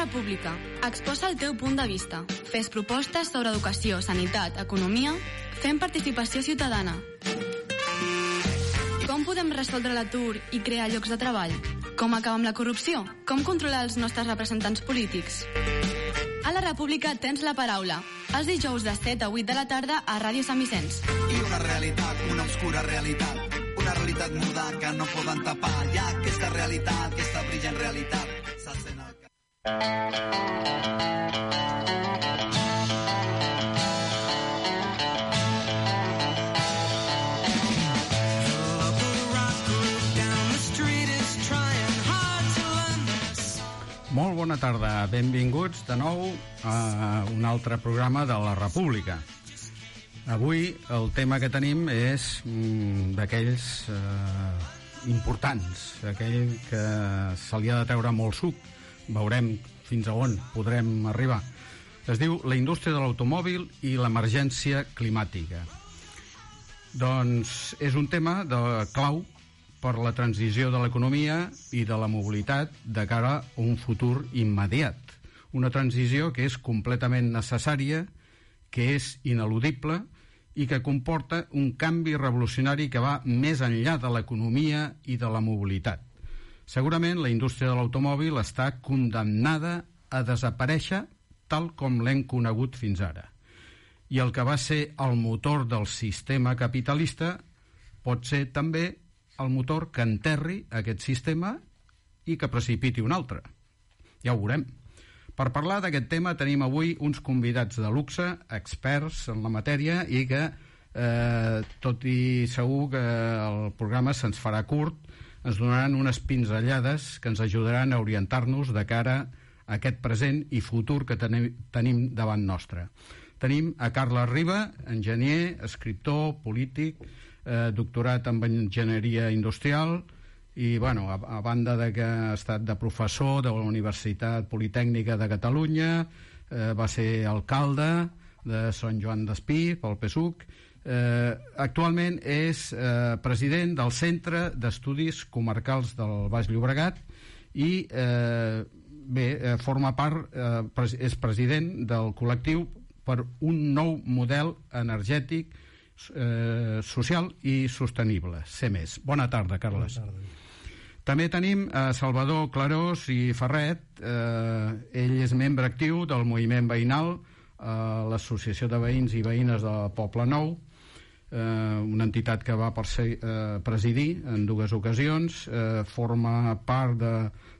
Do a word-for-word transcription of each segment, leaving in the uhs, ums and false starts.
República. Exposa el teu punt de vista. Fes propostes sobre educació, sanitat, economia. Fem participació ciutadana. Com podem resoldre l'atur i crear llocs de treball? Com acabar amb la corrupció? Com controlar els nostres representants polítics? A la República tens la paraula. Els dijous de set a vuit de la tarda a Ràdio Sant Vicenç. I una realitat, una obscura realitat, una realitat muda que no poden tapar. Hi ha aquesta realitat, aquesta brillant realitat. S'alcen el cap. Molt bona tarda, benvinguts de nou a un altre programa de la República. Avui el tema que tenim és mm, d'aquells eh, importants, aquell que se li ha de treure molt suc. Veurem fins a on podrem arribar. Es diu la indústria de l'automòbil i l'emergència climàtica. Doncs és un tema de clau per la transició de l'economia i de la mobilitat de cara a un futur immediat. Una transició que és completament necessària, que és ineludible i que comporta un canvi revolucionari que va més enllà de l'economia i de la mobilitat. Segurament la indústria de l'automòbil està condemnada a desaparèixer tal com l'hem conegut fins ara. I el que va ser el motor del sistema capitalista pot ser també el motor que enterri aquest sistema i que precipiti un altre. Ja ho veurem. Per parlar d'aquest tema tenim avui uns convidats de luxe, experts en la matèria i que, eh, tot i segur que el programa se'ns farà curt, ens donaran unes pinzellades que ens ajudaran a orientar-nos de cara a aquest present i futur que tenim, tenim davant nostre. Tenim a Carles Riba, enginyer, escriptor, polític, eh, doctorat en enginyeria industrial i, bueno, a, a banda de que ha estat de professor de la Universitat Politècnica de Catalunya, eh, va ser alcalde de Sant Joan d'Espí pel P S U C. Eh, actualment és eh, president del Centre d'Estudis Comarcals del Baix Llobregat i eh, bé, eh, forma part, eh, pres és president del col·lectiu per un nou model energètic, eh, social i sostenible, C més. Bona tarda, Carles. Bona tarda. També tenim a Salvador Clarós i Ferret. Eh, ell és membre actiu del moviment veïnal, eh, l'Associació de Veïns i Veïnes del Poble Nou, eh, una entitat que va eh, presidir en dues ocasions. Eh, forma part de,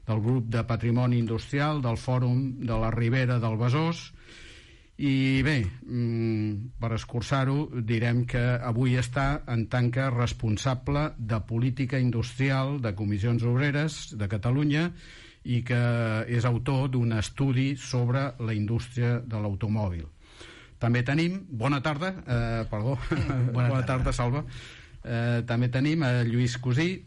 del grup de Patrimoni Industrial del Fòrum de la Ribera del Besòs. I bé, per escurçar-ho, direm que avui està en tant que responsable de política industrial de Comissions Obreres de Catalunya i que és autor d'un estudi sobre la indústria de l'automòbil. També tenim, bona tarda, eh, perdó, bona, bona tarda, Salva. Eh, també tenim a Lluís Cosí,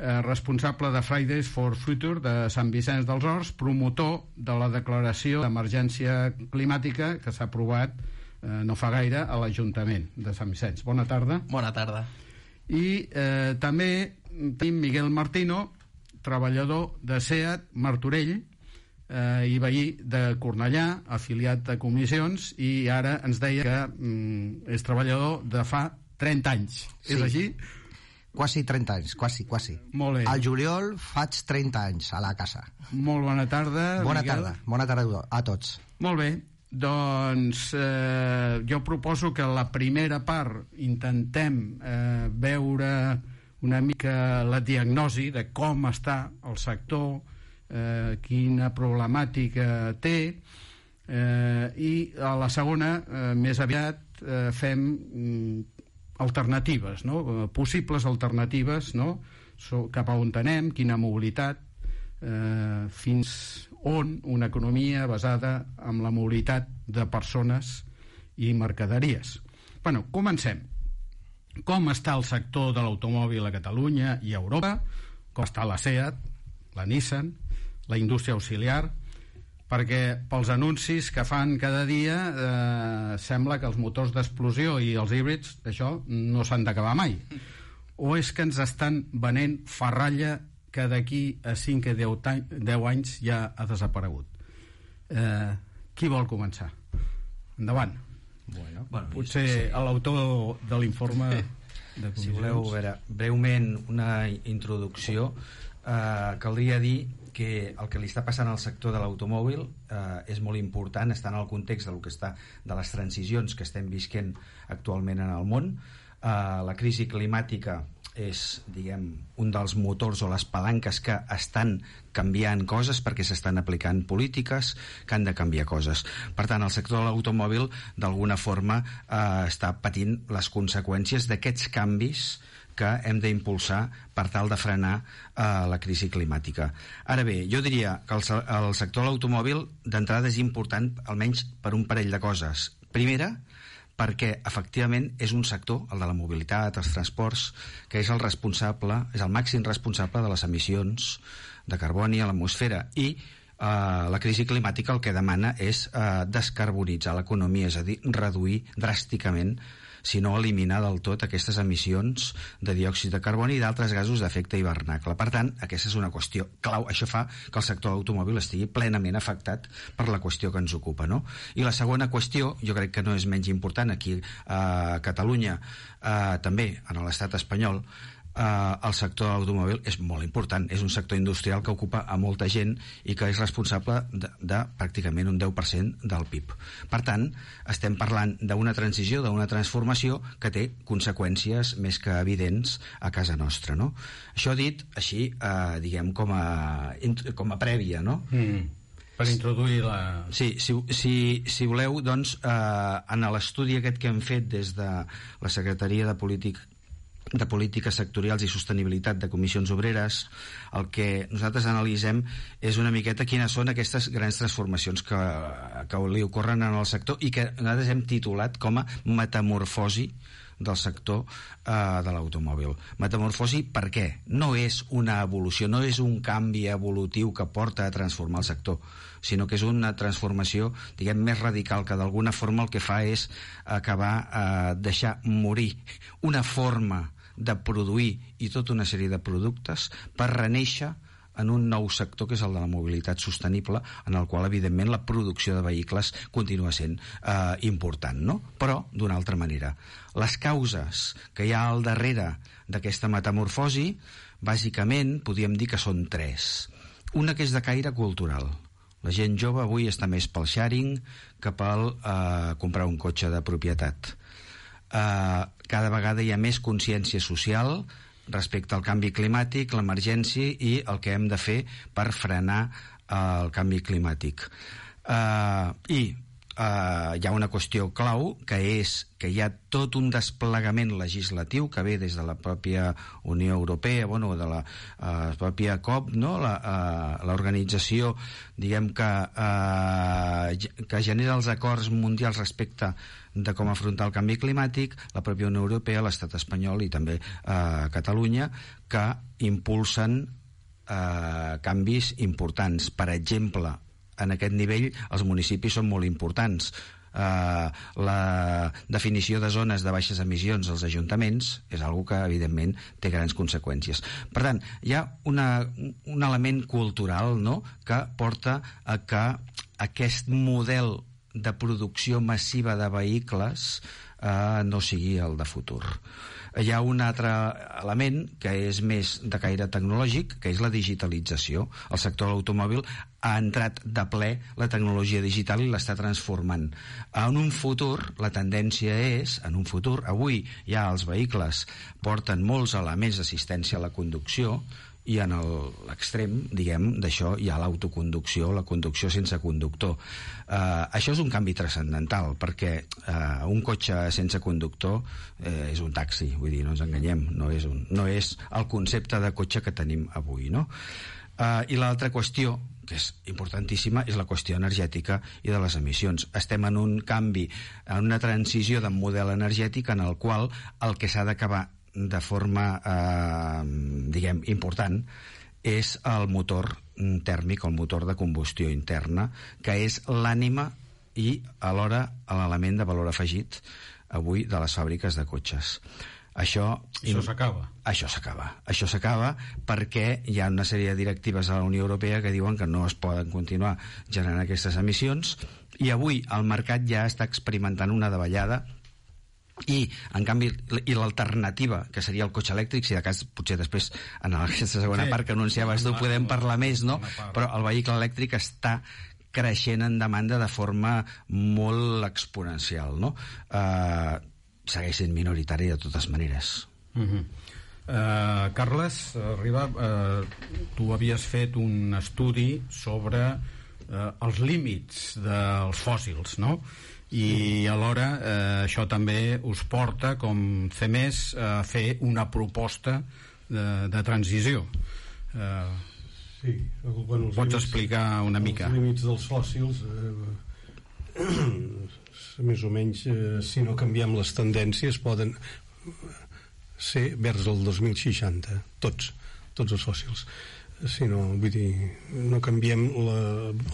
responsable de Fridays for Future de Sant Vicenç dels Horts, promotor de la declaració d'emergència climàtica que s'ha aprovat eh, no fa gaire a l'Ajuntament de Sant Vicenç. Bona tarda. Bona tarda. I eh, també tenim Miguel Martino, treballador de SEAT Martorell eh, i veí de Cornellà, afiliat a Comissions, i ara ens deia que mm, és treballador de fa trenta anys. Sí. És així? Quasi trenta anys, quasi, quasi. Molt bé. Al juliol faig trenta anys a la casa. Molt bona tarda, Bona Miguel. tarda, bona tarda a tots. Molt bé, doncs eh, jo proposo que la primera part intentem eh, veure una mica la diagnosi de com està el sector, eh, quina problemàtica té, eh, i a la segona, eh, més aviat, eh, fem mm, alternatives, no? Possibles alternatives, no? So, cap a on anem, quina mobilitat, eh, fins on una economia basada en la mobilitat de persones i mercaderies. Bueno, comencem. Com està el sector de l'automòbil a Catalunya i a Europa? Com està la SEAT, la Nissan, la indústria auxiliar? Perquè pels anuncis que fan cada dia eh, sembla que els motors d'explosió i els híbrids, això no s'han d'acabar mai. O és que ens estan venent ferralla que d'aquí a cinc o deu anys ja ha desaparegut? Eh, qui vol començar? Endavant. Bueno, bueno, potser sí. L'autor de l'informe de comissions. Si voleu, a veure, breument una introducció. Eh, caldria dir que el que li està passant al sector de l'automòbil eh, és molt important, està en el context del que està, de les transicions que estem visquent actualment en el món. Eh, la crisi climàtica és, diguem, un dels motors o les palanques que estan canviant coses perquè s'estan aplicant polítiques que han de canviar coses. Per tant, el sector de l'automòbil d'alguna forma eh, està patint les conseqüències d'aquests canvis que hem d'impulsar per tal de frenar eh, la crisi climàtica. Ara bé, jo diria que el, el sector de l'automòbil d'entrada és important almenys per un parell de coses. Primera, perquè efectivament és un sector, el de la mobilitat, els transports, que és el responsable, és el màxim responsable de les emissions de carboni a l'atmosfera, i eh, la crisi climàtica el que demana és eh, descarbonitzar l'economia, és a dir, reduir dràsticament, si no eliminar del tot aquestes emissions de diòxid de carboni i d'altres gasos d'efecte hivernacle. Per tant, aquesta és una qüestió clau. Això fa que el sector de l'automòbil estigui plenament afectat per la qüestió que ens ocupa, no? I la segona qüestió, jo crec que no és menys important, aquí a Catalunya, eh, també en l'estat espanyol, Uh, el sector de l'automòbil és molt important, és un sector industrial que ocupa a molta gent i que és responsable de, de pràcticament un deu per cent del P I B. Per tant, estem parlant d'una transició, d'una transformació que té conseqüències més que evidents a casa nostra, no? Això dit així, uh, diguem, com a, com a prèvia, no? Mm. Per introduir la... Sí, si, si, si voleu, doncs, eh, en l'estudi aquest que hem fet des de la Secretaria de Política de Polítiques Sectorials i Sostenibilitat de Comissions Obreres, el que nosaltres analitzem és una miqueta quines són aquestes grans transformacions que, que li ocorren en el sector i que nosaltres hem titulat com a metamorfosi del sector eh, de l'automòbil. Metamorfosi per què? No és una evolució, no és un canvi evolutiu que porta a transformar el sector, sinó que és una transformació, diguem, més radical, que d'alguna forma el que fa és acabar, eh, deixar morir una forma de produir i tota una sèrie de productes per renéixer en un nou sector que és el de la mobilitat sostenible, en el qual evidentment la producció de vehicles continua sent eh, important, no? Però d'una altra manera. Les causes que hi ha al darrere d'aquesta metamorfosi, bàsicament podríem dir que són tres. Una que és de caire cultural. La gent jove avui està més pel sharing que pel eh, comprar un cotxe de propietat. Eh, cada vegada hi ha més consciència social respecte al canvi climàtic, l'emergència i el que hem de fer per frenar eh, el canvi climàtic. Eh, I eh, hi ha una qüestió clau, que és que hi ha tot un desplegament legislatiu que ve des de la pròpia Unió Europea, bueno, de la eh, pròpia C O P, no? la, eh, l'organització, diguem, que, eh, que genera els acords mundials respecte de com afrontar el canvi climàtic, la pròpia Unió Europea, l'estat espanyol i també eh, Catalunya, que impulsen eh, canvis importants. Per exemple, en aquest nivell els municipis són molt importants. Uh, la definició de zones de baixes emissions als ajuntaments és algo que evidentment té grans conseqüències. Per tant, hi ha una, un element cultural, no?, que porta a que aquest model de producció massiva de vehicles uh, no sigui el de futur. Hi ha un altre element que és més de caire tecnològic, que és la digitalització. El sector de l'automòbil ha entrat de ple la tecnologia digital i l'està transformant. En un futur, la tendència és, en un futur, avui ja els vehicles porten molts elements d'assistència a la conducció, i en l'extrem, diguem, d'això hi ha l'autoconducció, la conducció sense conductor. Uh, això és un canvi transcendental, perquè uh, un cotxe sense conductor uh, és un taxi, vull dir, no ens enganyem, no és, un, no és el concepte de cotxe que tenim avui, no? Uh, I l'altra qüestió, que és importantíssima, és la qüestió energètica i de les emissions. Estem en un canvi, en una transició de model energètic en el qual el que s'ha d'acabar de forma, eh, diguem, important, és el motor tèrmic, el motor de combustió interna, que és l'ànima i alhora l'element de valor afegit avui de les fàbriques de cotxes. Això, això s'acaba. Això s'acaba. Això s'acaba perquè hi ha una sèrie de directives a la Unió Europea que diuen que no es poden continuar generant aquestes emissions, i avui el mercat ja està experimentant una davallada, i en canvi i l'alternativa, que seria el cotxe elèctric, si de cas potser després en aquesta segona sí. part que anunciaves tu podem parlar més, no? Però el vehicle elèctric està creixent en demanda de forma molt exponencial, no? Uh, segueix sent minoritari de totes maneres. Uh-huh. uh, Carles Riba, uh, tu havies fet un estudi sobre uh, els límits dels fòssils, no? I alhora eh, això també us porta, com C E M E S, a fer una proposta de, de transició. Eh, sí, bueno, pots límits, explicar una mica? Els límits dels fòssils, eh, més o menys, eh, si no canviem les tendències, poden ser vers el dos mil seixanta, tots, tots els fòssils. Si no, vull dir, no canviem la,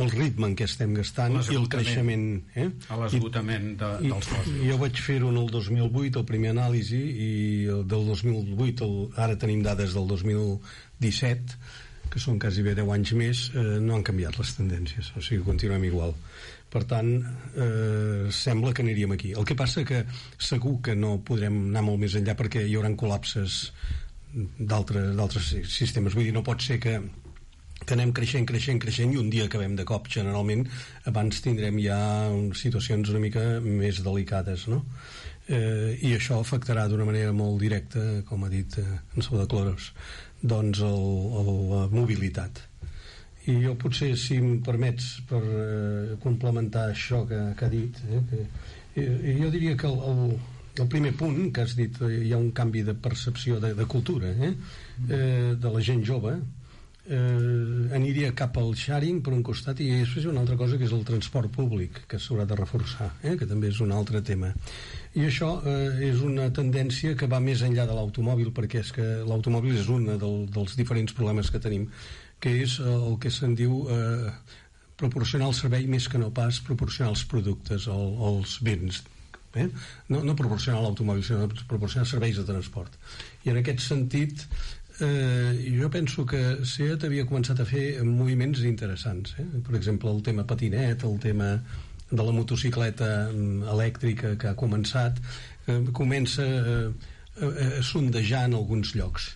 el ritme en què estem gastant i el creixement, eh? A l'esgotament de, dels fòssils. Jo vaig fer-ho en el dos mil vuit, el primer anàlisi, i del dos mil vuit, el, ara tenim dades del dos mil disset, que són quasi bé deu anys més, eh, no han canviat les tendències, o sigui, continuem igual. Per tant, eh, sembla que aniríem aquí. El que passa que segur que no podrem anar molt més enllà perquè hi haurà col·lapses d'altres sistemes. Vull dir, no pot ser que, que anem creixent, creixent, creixent i un dia acabem de cop. Generalment abans tindrem ja situacions una mica més delicades, no? Eh, i això afectarà d'una manera molt directa, com ha dit eh, en Salvador Clarós, doncs el, el, la mobilitat. I jo potser, si em permets, per eh, complementar això que, que ha dit, eh, que, eh, jo diria que el, el el primer punt que has dit, hi ha un canvi de percepció de, de cultura, eh? Eh, de la gent jove, eh, aniria cap al sharing per un costat, i després hi ha una altra cosa que és el transport públic, que s'haurà de reforçar, eh? Que també és un altre tema. I això eh, és una tendència que va més enllà de l'automòbil, perquè és que l'automòbil és un del, dels diferents problemes que tenim, que és el que se'n diu eh, proporcionar el servei més que no pas proporcionar els productes o els béns. Eh? No, no proporcionar l'automòbil, sinó proporcionar serveis de transport. I en aquest sentit eh, jo penso que SEAT havia començat a fer moviments interessants, eh? Per exemple el tema patinet, el tema de la motocicleta elèctrica que ha començat, eh, comença eh, a, a sondejar en alguns llocs.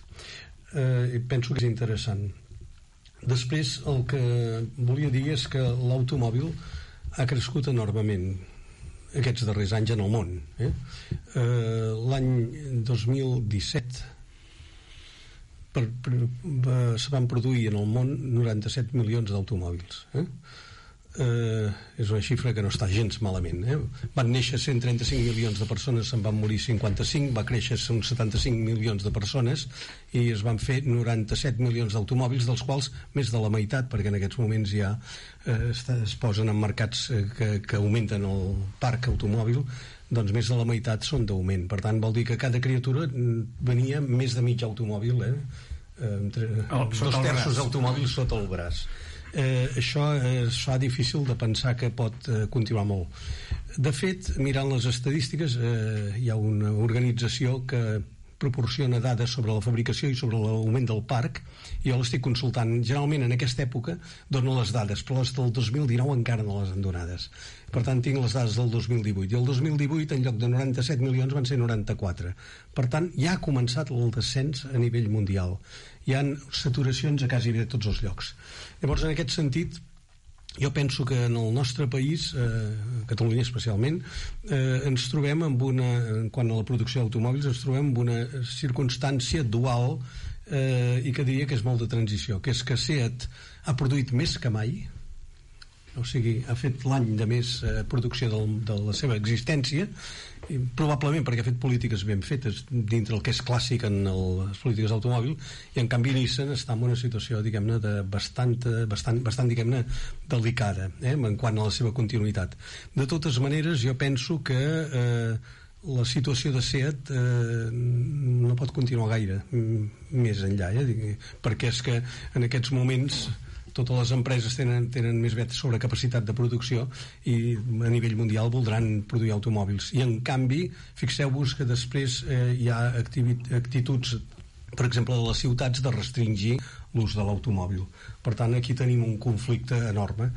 eh, penso que és interessant. Després el que volia dir és que l'automòbil ha crescut enormement aquests darrers anys en el món, eh? Eh, l'any dos mil disset per, per, per, se van produir en el món noranta-set milions d'automòbils, eh? Eh, és una xifra que no està gens malament, eh? Van néixer cent trenta-cinc milions de persones, se'n van morir cinquanta-cinc, va créixer uns setanta-cinc milions de persones i es van fer noranta-set milions d'automòbils, dels quals més de la meitat, perquè en aquests moments ja eh, es posen en mercats eh, que, que augmenten el parc automòbil, doncs més de la meitat són d'augment. Per tant, vol dir que cada criatura venia més de mig automòbil, eh? Eh, entre, oh, dos terços d'automòbils sota el braç. Eh, això es fa difícil de pensar que pot eh, continuar molt. De fet, mirant les estadístiques, eh, hi ha una organització que proporciona dades sobre la fabricació i sobre l'augment del parc, i jo l'estic consultant. Generalment en aquesta època dono les dades, però les del dos mil dinou encara no les han donades. Per tant, tinc les dades del dos mil divuit, i el dos mil divuit en lloc de noranta-set milions van ser noranta-quatre. Per tant, ja ha començat el descens a nivell mundial. Hi ha saturacions a quasi bé tots els llocs. Llavors, en aquest sentit, jo penso que en el nostre país, eh, Catalunya especialment, eh, ens trobem amb una, quan a la producció d'automòbils, ens trobem amb una circumstància dual eh, i que diria que és molt de transició, que és que SEAT ha produït més que mai, o sigui, ha fet l'any de més eh, producció del, de la seva existència, i probablement perquè ha fet polítiques ben fetes dintre el que és clàssic en el, les polítiques d'automòbil, i en canvi Nissan està en una situació, diguem-ne, de bastant, bastant, bastant diguem-ne, delicada, eh, en quant a la seva continuïtat. De totes maneres, jo penso que eh, la situació de SEAT eh, no pot continuar gaire més enllà, eh, perquè és que en aquests moments totes les empreses tenen, tenen més bet sobre capacitat de producció i a nivell mundial voldran produir automòbils. I en canvi, fixeu-vos que després eh, hi ha actituds, per exemple, de les ciutats, de restringir l'ús de l'automòbil. Per tant, aquí tenim un conflicte enorme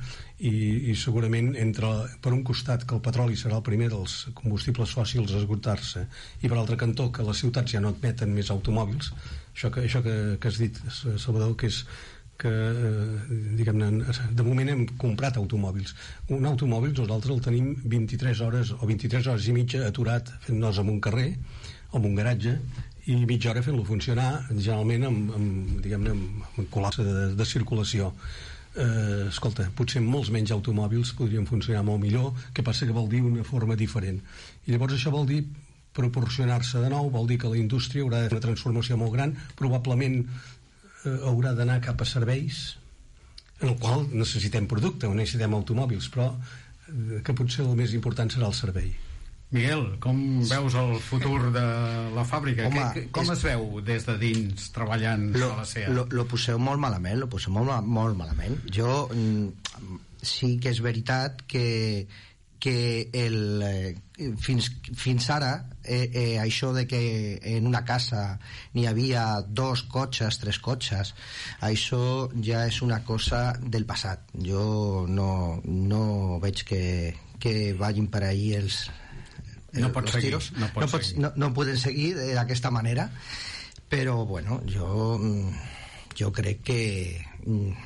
i, i segurament entre, per un costat, que el petroli serà el primer dels combustibles fòssils a esgotar-se, i per altre cantó que les ciutats ja no admeten més automòbils, això que, això que, que has dit, Salvador, que és que eh, diguem-ne, de moment hem comprat automòbils. Un automòbil nosaltres el tenim vint-i-tres hores o vint-i-tres hores i mitja aturat fent-nos en un carrer o en un garatge i mitja hora fent-lo funcionar, generalment amb, amb, diguem-ne, amb col·lapse de, de circulació. Eh, escolta, potser molts menys automòbils podrien funcionar molt millor, que passa que vol dir una forma diferent. I llavors això vol dir proporcionar-se de nou, vol dir que la indústria haurà de fer una transformació molt gran, probablement eh, haurà d'anar cap a serveis en el qual necessitem producte o necessitem automòbils, però eh, que potser el més important serà el servei. Miguel, com veus el futur de la fàbrica? Home, que, com és... es veu des de dins treballant lo, a la SEAT? Lo, lo poseu molt malament, lo poseu molt, molt malament. Jo mm, sí que és veritat que, que el, eh, fins, fins ara eh, eh, això de que en una casa n'hi havia dos cotxes, tres cotxes, això ja és una cosa del passat. Jo no, no veig que, que vagin per ahí els no pot seguir, tiros. No, pot no, pots, no, no poden seguir d'aquesta manera, però bueno, jo jo crec que en,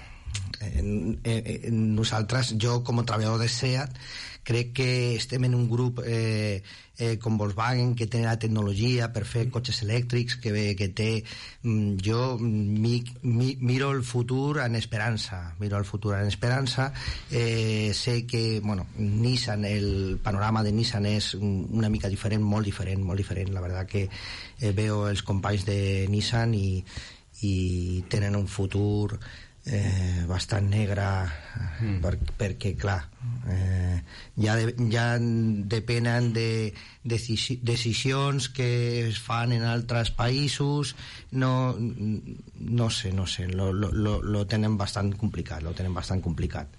en, en nosaltres, jo com a treballador de SEAT, crec que estem en un grup eh, eh, com Volkswagen, que té la tecnologia per fer cotxes elèctrics, que, que té jo mi, mi, miro el futur en esperança miro el futur en esperança eh, sé que, bueno, Nissan, el panorama de Nissan és una mica diferent, molt diferent, molt diferent. La veritat que eh, veo els companys de Nissan i, i tenen un futur eh, bastant negre mm. per, perquè clar eh, ja, de, ja depenen de decisi, decisions que es fan en altres països. No, no sé, no sé lo, lo, lo tenen bastant complicat lo tenen bastant complicat.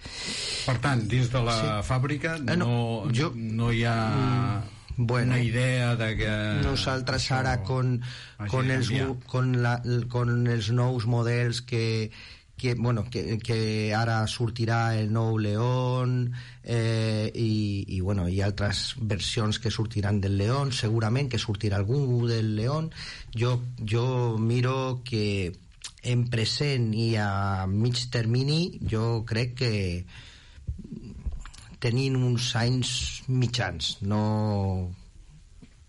Per tant, dins de la sí. fàbrica no, no, jo, no hi ha bueno, una idea de que nosaltres ara con, con, els, con, la, con els nous models que que, bueno, que, que ara sortirà el nou León eh, i, i, bueno, hi ha altres versions que sortiran del León, segurament que sortirà algú del León. Jo, jo miro que en present i a mig termini jo crec que tenim uns anys mitjans, no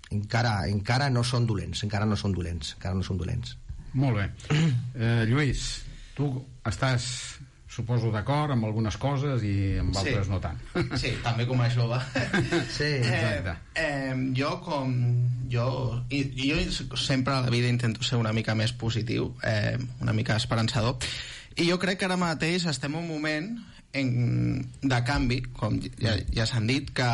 encara, encara no són dolents encara no són dolents encara no són dolents. Molt bé. eh, Lluís, tu estàs, suposo, d'acord amb algunes coses i amb altres sí. no tant. Sí, també com a jove. Sí, exacte. Eh, eh, jo com... Jo, i, jo sempre a la vida intento ser una mica més positiu, eh, una mica esperançador, i jo crec que ara mateix estem en un moment en, de canvi, com ja, ja s'han dit, que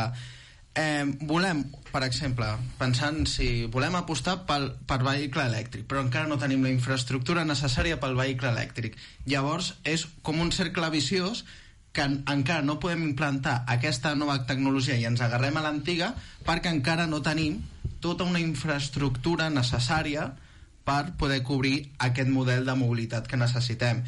eh, volem, per exemple, pensant si volem apostar pel, per vehicle elèctric, però encara no tenim la infraestructura necessària pel vehicle elèctric. Llavors és com un cercle viciós que en, encara no podem implantar aquesta nova tecnologia i ens agarrem a l'antiga perquè encara no tenim tota una infraestructura necessària per poder cobrir aquest model de mobilitat que necessitem.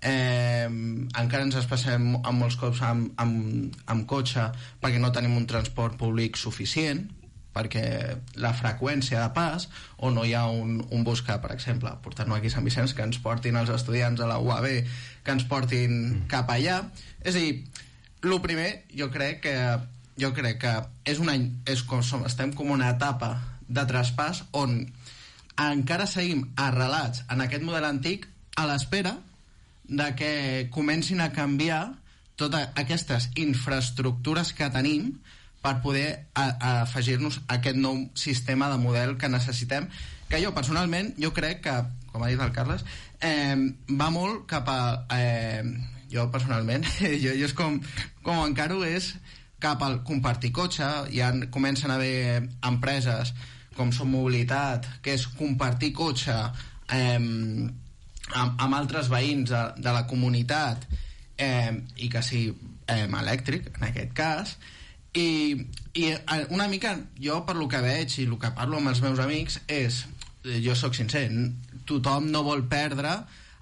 Eh, encara ens espacem amb molts cops amb, amb, amb cotxe perquè no tenim un transport públic suficient, perquè la freqüència de pas, o no hi ha un, un bus que, per exemple, portant-nos aquí a Sant Vicenç, que ens portin els estudiants a la U A B, que ens portin cap allà. És a dir, el primer, jo crec que jo crec que és un any, és com som, estem com una etapa de traspàs on encara seguim arrelats en aquest model antic a l'espera de que comencin a canviar totes aquestes infraestructures que tenim per poder a, a afegir-nos a aquest nou sistema de model que necessitem, que jo personalment, jo crec que, com ha dit el Carles, eh, va molt cap a... Eh, jo personalment, jo, jo és com, com encaro és cap al compartir cotxe. Ja comencen a haver empreses com Som Mobilitat, que és compartir cotxe eh, amb, amb altres veïns de, de la comunitat eh, i que sigui eh, elèctric, en aquest cas, i, i una mica jo per lo que veig i el que parlo amb els meus amics és, jo sóc sincer, tothom no vol perdre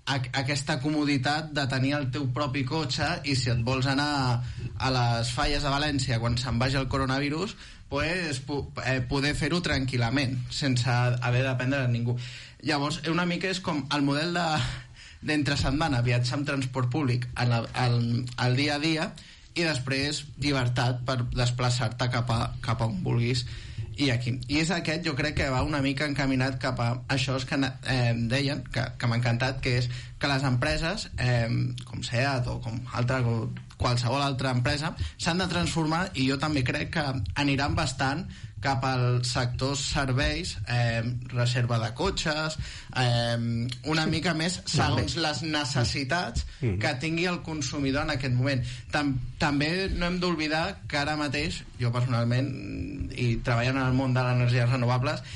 aquesta comoditat de tenir el teu propi cotxe, i si et vols anar a les falles de València quan se'n vagi el coronavirus, pues, eh, poder fer-ho tranquil·lament sense haver de dependre de ningú. Llavors una mica és com el model de, d'entre setmana, viatjar amb transport públic en el, el, el dia a dia, i després llibertat per desplaçar-te cap a, cap a on vulguis. I aquí, i és aquest, jo crec que va una mica encaminat cap a això que eh, deien, que, que m'ha encantat, que és que les empreses, eh, com SEAT o com altra, qualsevol altra empresa, s'han de transformar, i jo també crec que aniran bastant cap al sector serveis, eh, reserva de cotxes, eh, una mica més segons les necessitats que tingui el consumidor en aquest moment. Tam també no hem d'oblidar que ara mateix, jo personalment, i treballant en el món de les energies renovables,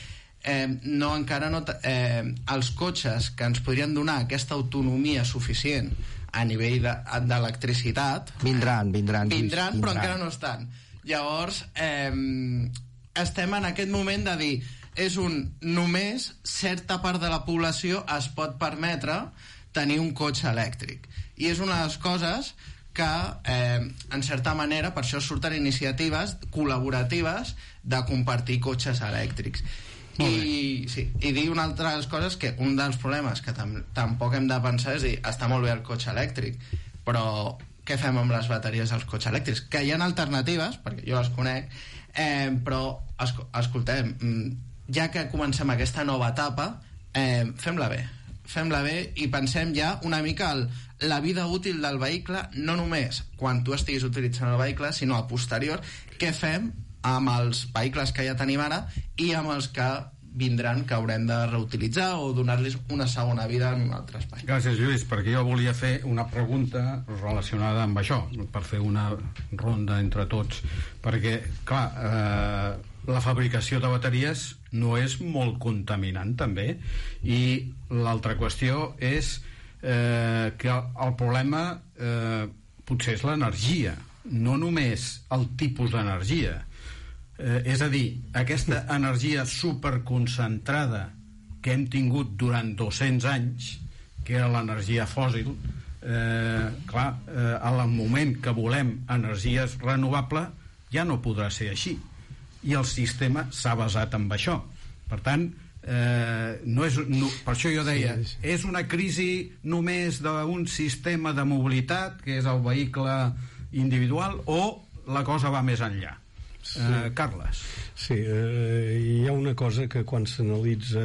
eh, no, encara no eh, els cotxes que ens podrien donar aquesta autonomia suficient a nivell d'electricitat de, vindran, vindran, vindran, vindran, però encara no estan. Llavors eh, estem en aquest moment de dir, és un només certa part de la població es pot permetre tenir un cotxe elèctric, i és una de les coses que eh, en certa manera per això surten iniciatives col·laboratives de compartir cotxes elèctrics. I, sí, i dir una altra de les coses, que un dels problemes que tam tampoc hem de pensar és dir, està molt bé el cotxe elèctric, però què fem amb les bateries dels cotxes elèctrics? Que hi ha alternatives, perquè jo les conec, eh, però esc escoltem, ja que comencem aquesta nova etapa, eh, fem-la bé fem-la bé i pensem ja una mica el, la vida útil del vehicle, no només quan tu estiguis utilitzant el vehicle, sinó a posterior, què fem amb els vehicles que ja tenim ara i amb els que vindran, que haurem de reutilitzar o donar-los una segona vida en un altre espai. Gràcies, Lluís, perquè jo volia fer una pregunta relacionada amb això, per fer una ronda entre tots, perquè, clar, eh, la fabricació de bateries no és molt contaminant, també, i l'altra qüestió és eh, que el problema eh, potser és l'energia, no només el tipus d'energia. Eh, és a dir, aquesta energia superconcentrada que hem tingut durant dos-cents anys, que era l'energia fòssil, eh, clar, eh, al moment que volem energies renovables ja no podrà ser així, i el sistema s'ha basat en això. Per tant, eh, no és, no, per això jo deia, sí, sí. És una crisi només d'un sistema de mobilitat, que és el vehicle individual, o la cosa va més enllà? Sí. Eh, Carles. Sí, eh, hi ha una cosa que quan s'analitza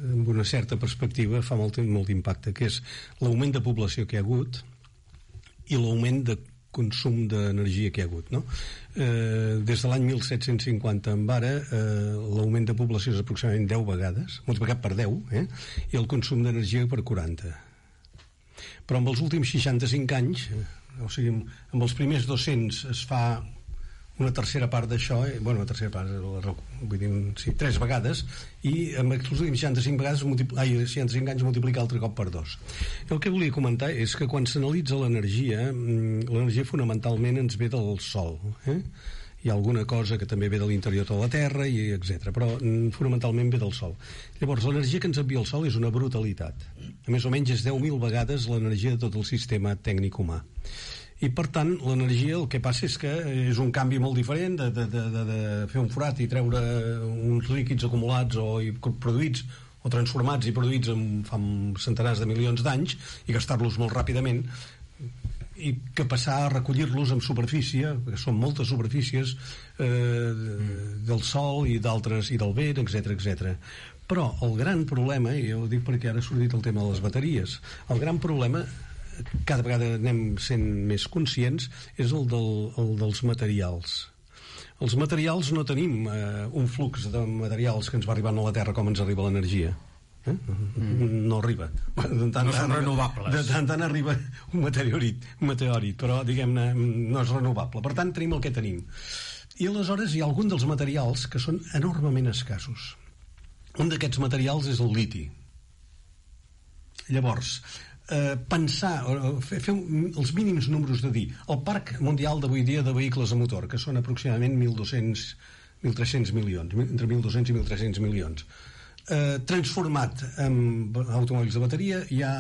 amb una certa perspectiva fa molt, molt impacte, que és l'augment de població que hi ha hagut i l'augment de consum d'energia que hi ha hagut, no? Eh, des de l'any mil set-cents cinquanta en ara, eh, l'augment de població és aproximadament deu vegades, multiplicat per deu, eh? I el consum d'energia per quaranta. Però amb els últims seixanta-cinc anys, eh, o sigui, amb els primers dos-cents es fa una tercera part d'això, eh? Bueno, una tercera part, vull dir, sí, tres vegades, i amb els últims seixanta-cinc vegades, ai, seixanta-cinc anys multiplicar altre cop per dos. El que volia comentar és que quan s'analitza l'energia, l'energia fonamentalment ens ve del sol, eh? Hi ha alguna cosa que també ve de l'interior de la Terra, i etcètera, però fonamentalment ve del sol. Llavors, l'energia que ens envia el sol és una brutalitat. A més o menys és deu mil vegades l'energia de tot el sistema tècnic humà. I per tant l'energia el que passa és que és un canvi molt diferent de, de, de, de, de fer un forat i treure uns líquids acumulats o i produïts o transformats i produïts en, fa centenars de milions d'anys i gastar-los molt ràpidament, i que passar a recollir-los en superfície, que són moltes superfícies eh, del sol i d'altres, i del vent, etcètera, etcètera. Però el gran problema, i jo ho dic perquè ara ha sortit el tema de les bateries, el gran problema, cada vegada anem sent més conscients, és el, del, el dels materials. Els materials no tenim eh, un flux de materials que ens va arribant a la Terra com ens arriba l'energia. Eh? Mm. No arriba. De tant, no són renovables. De tant en arriba un meteorit, un meteorit, però diguem-ne no és renovable. Per tant, tenim el que tenim. I aleshores hi ha algun dels materials que són enormement escassos. Un d'aquests materials és el liti. Llavors, eh, pensar, fer, fer els mínims números de dir, el parc mundial d'avui dia de vehicles a motor, que són aproximadament mil dos-cents mil tres-cents milions, entre mil dos-cents i mil tres-cents milions, eh, transformat en automòbils de bateria, ja,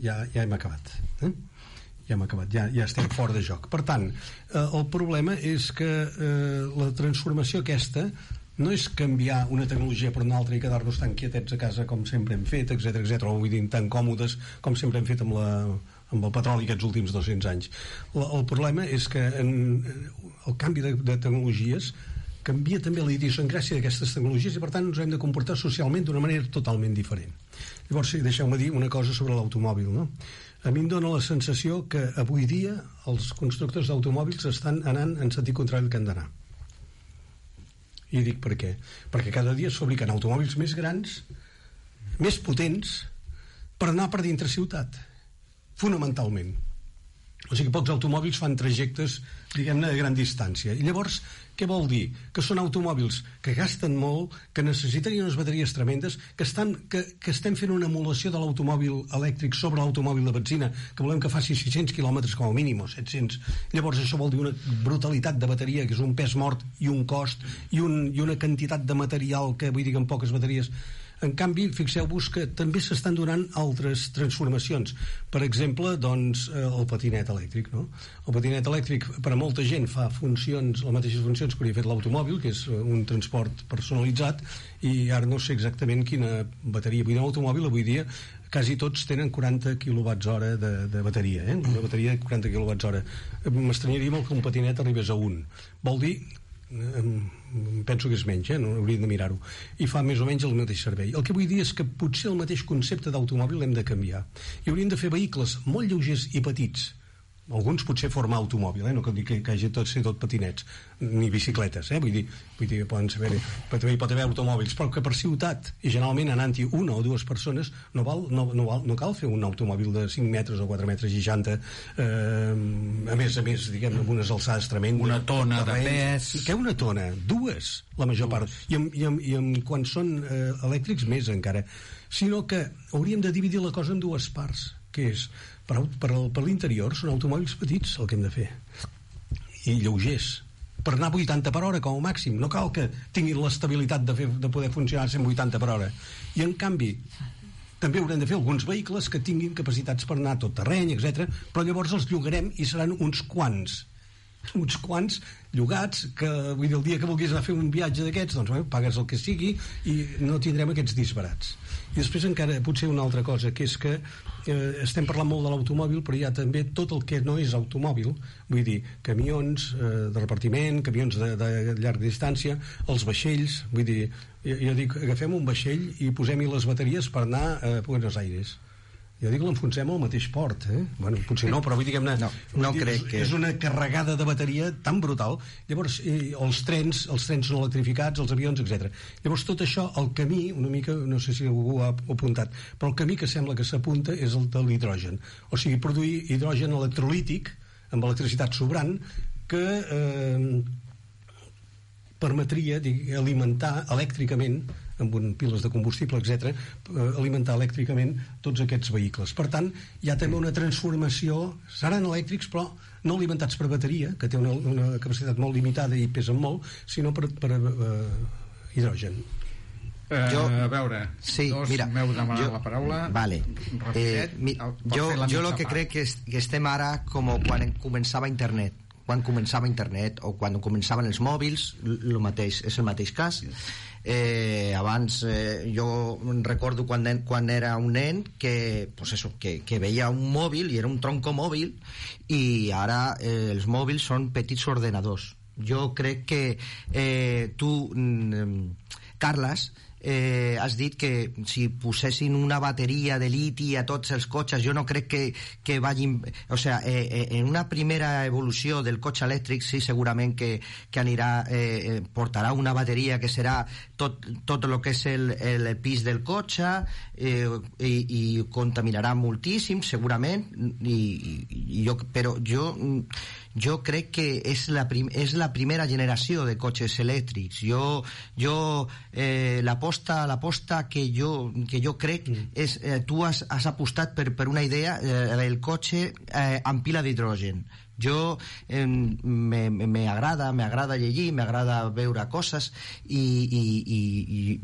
ja, ja hem acabat. Eh? Ja hem acabat, ja, ja estem fora de joc. Per tant, eh, el problema és que eh, la transformació aquesta no és canviar una tecnologia per una altra i quedar-nos tan quietets a casa com sempre hem fet, etcètera, etcètera, o vull dir, tan còmodes com sempre hem fet amb, la, amb el petroli aquests últims dos-cents anys. La, el problema és que en, el canvi de, de tecnologies canvia també la idiosincràsia d'aquestes tecnologies i per tant ens hem de comportar socialment d'una manera totalment diferent. Llavors, sí, deixeu-me dir una cosa sobre l'automòbil, no? A mi em dóna la sensació que avui dia els constructors d'automòbils estan anant en sentit contrari al que han d'anar. I dic per què? Perquè cada dia es fabriquen automòbils més grans, més potents, per anar per dintre ciutat, fonamentalment. O sigui, pocs automòbils fan trajectes, diguem-ne, de gran distància. I llavors, què vol dir? Que són automòbils que gasten molt, que necessiten unes bateries tremendes, que, estan, que, que estem fent una emulació de l'automòbil elèctric sobre l'automòbil de benzina, que volem que faci sis-cents quilòmetres com a mínim, o set-cents. Llavors, això vol dir una brutalitat de bateria, que és un pes mort i un cost, i, un, i una quantitat de material que, vull dir que amb poques bateries... En canvi, fixeu-vos que també s'estan donant altres transformacions. Per exemple, doncs, el patinet elèctric, no? El patinet elèctric, per a molta gent, fa funcions, les mateixes funcions que hauria fet l'automòbil, que és un transport personalitzat, i ara no sé exactament quina bateria. Vull dir, l'automòbil avui dia quasi tots tenen quaranta quilowatts hora de, de bateria, eh? Una bateria de quaranta quilowatts hora. M'estranyaria molt que un patinet arribés a un. Vol dir... penso que és menys, eh? No hauríem de mirar-ho, i fa més o menys el mateix servei. El que vull dir és que potser el mateix concepte d'automòbil l'hem de canviar i hauríem de fer vehicles molt lleugers i petits, alguns potser formar automòbil, eh? No cal dir que, que hagi tot ser tot patinets ni bicicletes, eh? vull dir, vull dir que poden saber, però també hi pot haver automòbils, però que per ciutat i generalment anant-hi una o dues persones no, val, no, no, val, no cal fer un automòbil de cinc metres o quatre metres i seixanta, eh, a més a més, diguem, amb unes alçades tremendes, una tona de pes. Què una tona? Dues, la major part, i, amb, i, amb, i amb, quan són eh, elèctrics més encara, sinó que hauríem de dividir la cosa en dues parts, que és per, per, per l'interior són automòbils petits el que hem de fer i lleugers, per anar a vuitanta per hora com a màxim, no cal que tinguin l'estabilitat de, fer, de poder funcionar a cent vuitanta per hora, i en canvi també haurem de fer alguns vehicles que tinguin capacitats per anar a tot terreny, etcètera, però llavors els llogarem i seran uns quants uns quants llogats que, vull dir, el dia que vulguis anar a fer un viatge d'aquests, doncs bé, pagues el que sigui i no tindrem aquests disbarats. I després encara potser una altra cosa, que és que eh, estem parlant molt de l'automòbil, però hi ha també tot el que no és automòbil, vull dir, camions eh, de repartiment, camions de, de llarga distància, els vaixells, vull dir, jo, jo dic, agafem un vaixell i posem-hi les bateries per anar a Buenos Aires. Jo dic que l'enfonsem al mateix port, eh? Bueno, potser no, però vull dir que, no, no dir, crec és, que... és una carregada de bateria tan brutal. Llavors, eh, els trens, els trens no electrificats, els avions, etcètera. Llavors, tot això, el camí, una mica, no sé si algú ha apuntat, però el camí que sembla que s'apunta és el de l'hidrogen. O sigui, produir hidrogen electrolític, amb electricitat sobrant, que eh, permetria dic, alimentar elèctricament amb un, piles de combustible, etcètera, alimentar elèctricament tots aquests vehicles. Per tant, hi ha també una transformació, seran elèctrics, però no alimentats per bateria, que té una, una capacitat molt limitada i pesen molt, sinó per, per uh, hidrogen. Uh, jo, a veure, sí, dos mira, m'heu demanat jo, la paraula. Vale. Rapidet, eh, mi, jo jo el que part. crec que, és, que estem ara com quan començava internet. Quan començava internet o quan començaven els mòbils, el mateix, és el mateix cas. Eh, abans eh, jo recordo quan, nen, quan era un nen que, pues eso, que, que veia un mòbil i era un tronco mòbil, i ara eh, els mòbils són petits ordenadors. Jo crec que eh, tu, mm, Carles, eh, has dit que si posessin una bateria de liti a tots els cotxes, jo no crec que, que vagin, o sea, eh, en una primera evolució del cotxe elèctric sí, segurament que, que anirà, eh, portarà una bateria que serà tot, tot el que és el, el pis del cotxe, eh, i, i contaminarà moltíssim segurament, i, i jo, però jo jo crec que és la, prim, és la primera generació de cotxes elèctrics. Jo, jo eh, l'aposta l'aposta que jo, que jo crec mm. és, eh, tu has, has apostat per, per una idea, eh, el cotxe eh, amb pila d'hidrogen. Jo eh, m'agrada m'agrada llegir, m'agrada veure coses, i, i, i, i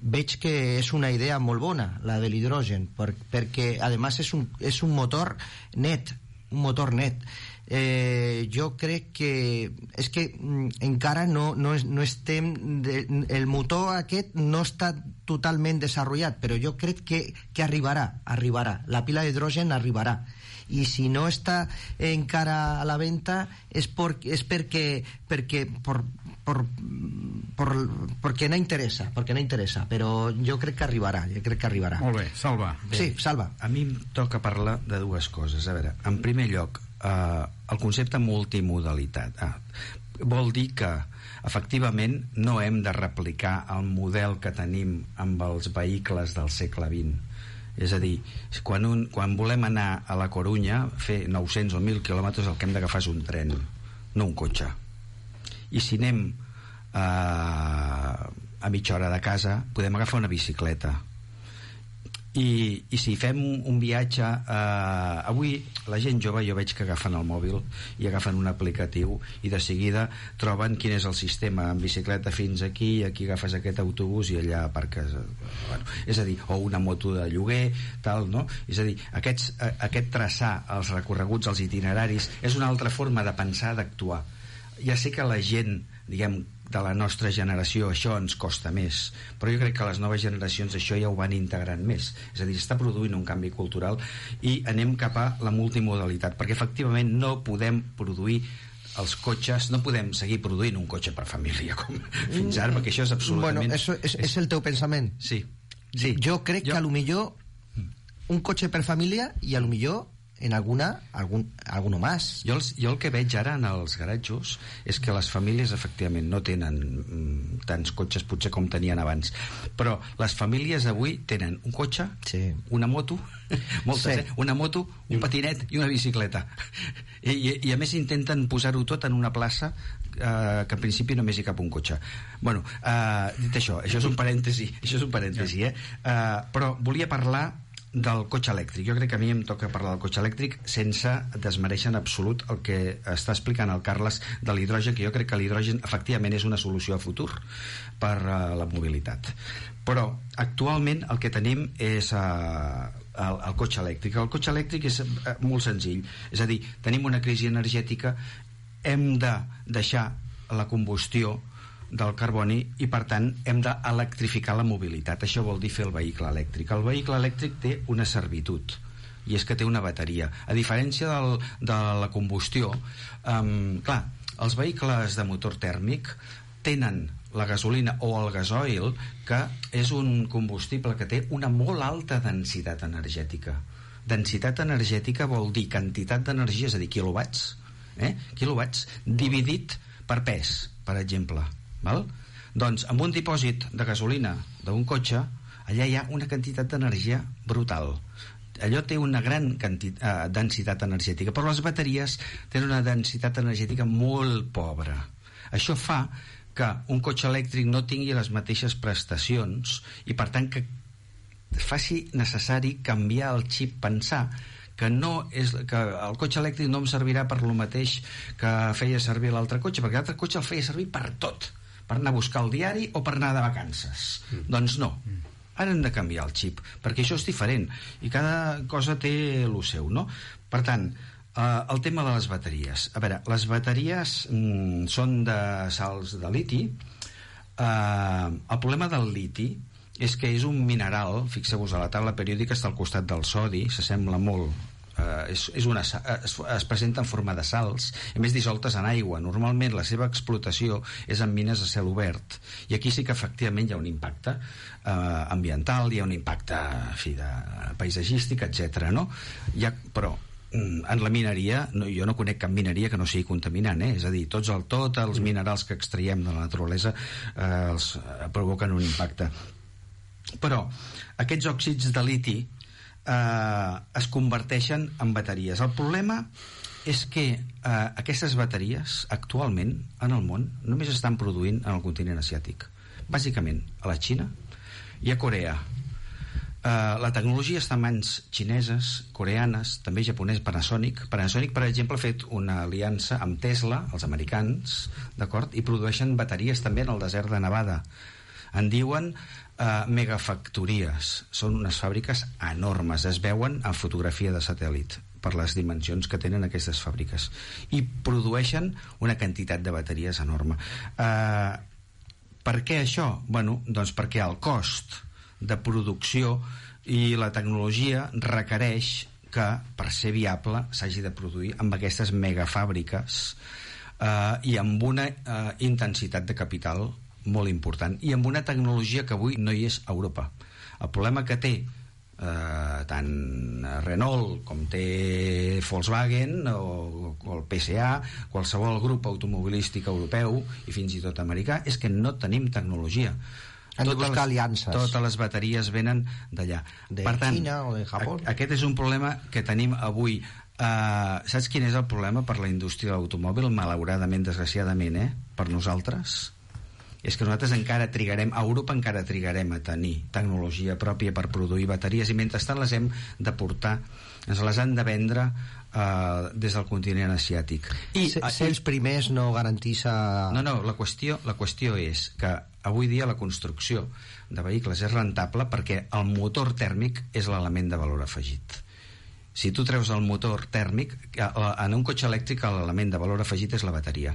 veig que és una idea molt bona, la de l'hidrogen, per, perquè a més és un, és un motor net, un motor net. Eh, jo crec que és que mm, encara no, no, no estem de, el motor aquest no està totalment desenvolupat, però jo crec que, que arribarà, arribarà la pila d'hidrogen arribarà, i si no està encara a la venda és, por, és perquè perquè por, por, por, perquè no interessa perquè no interessa, però jo crec que arribarà jo crec que arribarà. Molt bé, Salva. Bé, sí, Salva. A mi em toca parlar de dues coses. A veure, en primer lloc, eh, el concepte multimodalitat. Ah, vol dir que efectivament no hem de replicar el model que tenim amb els vehicles del segle vint. És a dir, quan, un, quan volem anar a la Corunya, fer nou-cents o mil quilòmetres, el que hem d'agafar és un tren, no un cotxe. I si anem eh, a mitja hora de casa, podem agafar una bicicleta. I, i si fem un, un viatge eh, avui la gent jove jo veig que agafen el mòbil i agafen un aplicatiu i de seguida troben quin és el sistema, en bicicleta fins aquí, aquí agafes aquest autobús i allà aparques, bueno, és a dir, o una moto de lloguer, tal, no? És a dir, aquests, aquest traçar els recorreguts, els itineraris és una altra forma de pensar, d'actuar. Ja sé que la gent, diguem, de la nostra generació això ens costa més, però jo crec que les noves generacions això ja ho van integrant més, és a dir, està produint un canvi cultural i anem cap a la multimodalitat, perquè efectivament no podem produir els cotxes, no podem seguir produint un cotxe per família com fins ara, perquè això és absolutament... Bueno, això és, és el teu pensament. Sí, sí. Jo crec jo... que a lo millor un cotxe per família i a lo millor en alguna, algun, alguno más. Jo, els, jo el que veig ara en els garatjos és que les famílies efectivament no tenen mm, tants cotxes potser com tenien abans, però les famílies avui tenen un cotxe, sí, una moto, moltes, sí, eh? una moto, un patinet i una bicicleta. I, i, i a més intenten posar-ho tot en una plaça eh, que en principi només hi cap un cotxe. Bueno, eh, dit això, això és un parèntesi, això és un parèntesi, eh? Eh, però volia parlar del cotxe elèctric. Jo crec que a mi em toca parlar del cotxe elèctric sense desmereixer en absolut el que està explicant el Carles de l'hidrogen, que jo crec que l'hidrogen efectivament és una solució a futur per uh, la mobilitat. Però actualment el que tenim és uh, el, el cotxe elèctric. El cotxe elèctric és uh, molt senzill, és a dir, tenim una crisi energètica, hem de deixar la combustió del carboni i per tant hem d'electrificar la mobilitat. Això vol dir fer el vehicle elèctric. El vehicle elèctric té una servitud i és que té una bateria. A diferència del, de la combustió, um, clar, els vehicles de motor tèrmic tenen la gasolina o el gasoil, que és un combustible que té una molt alta densitat energètica. Densitat energètica vol dir quantitat d'energia, és a dir, quilowatts, eh? quilowatts dividit per pes, per exemple. Val? Doncs amb un dipòsit de gasolina d'un cotxe, allà hi ha una quantitat d'energia brutal. Allò té una gran quantitat, eh, densitat energètica, però les bateries tenen una densitat energètica molt pobra. Això fa que un cotxe elèctric no tingui les mateixes prestacions i per tant que faci necessari canviar el xip, pensar que, no és, que el cotxe elèctric no em servirà per lo mateix que feia servir l'altre cotxe, perquè l'altre cotxe el feia servir per tot, per anar a buscar el diari o per anar de vacances. Mm. Doncs no, ara hem de canviar el xip, perquè això és diferent i cada cosa té el seu, no? Per tant, eh, el tema de les bateries. A veure, les bateries mm, són de sals de liti. Eh, el problema del liti és que és un mineral, fixeu-vos, a la taula periòdica està al costat del sodi, s'assembla molt. Uh, és, és una, es, es presenta en forma de sals, a més dissoltes en aigua. Normalment la seva explotació és en mines a cel obert i aquí sí que efectivament hi ha un impacte uh, ambiental, hi ha un impacte en fi, de, paisatgístic, etcètera. No? Hi ha, però en la mineria, no, jo no conec cap mineria que no sigui contaminant, eh? És a dir, tots el, tot els minerals que extraiem de la naturalesa eh, els eh, provoquen un impacte. Però aquests òxids de liti eh, es converteixen en bateries. El problema és que eh, aquestes bateries actualment en el món només estan produint en el continent asiàtic, bàsicament a la Xina i a Corea. Uh, la tecnologia està en mans xineses, coreanes, també japonès, Panasonic. Panasonic, per exemple, ha fet una aliança amb Tesla, els americans, d'acord? I produeixen bateries també en el desert de Nevada. En diuen uh, megafactories. Són unes fàbriques enormes, es veuen en fotografia de satèl·lit per les dimensions que tenen aquestes fàbriques, i produeixen una quantitat de bateries enorme. Uh, per què això? Bueno, doncs perquè el cost de producció i la tecnologia requereix que, per ser viable, s'hagi de produir amb aquestes megafàbriques eh, i amb una eh, intensitat de capital molt important, i amb una tecnologia que avui no hi és a Europa. El problema que té eh, tant Renault com té Volkswagen o, o el P S A, qualsevol grup automobilístic europeu i fins i tot americà, és que no tenim tecnologia. Han de buscar aliances. Totes les bateries venen d'allà. De per tant, Xina o de Japó. Aquest és un problema que tenim avui. Uh, saps quin és el problema per la indústria de l'automòbil? Malauradament, desgraciadament, eh? Per nosaltres? És que nosaltres encara trigarem, a Europa encara trigarem a tenir tecnologia pròpia per produir bateries, i mentrestant les hem de portar, ens les han de vendre uh, des del continent asiàtic. I ser, ser els primers no garanteix a... No, no, la qüestió, la qüestió és que avui dia la construcció de vehicles és rentable perquè el motor tèrmic és l'element de valor afegit. Si tu treus el motor tèrmic, en un cotxe elèctric l'element de valor afegit és la bateria.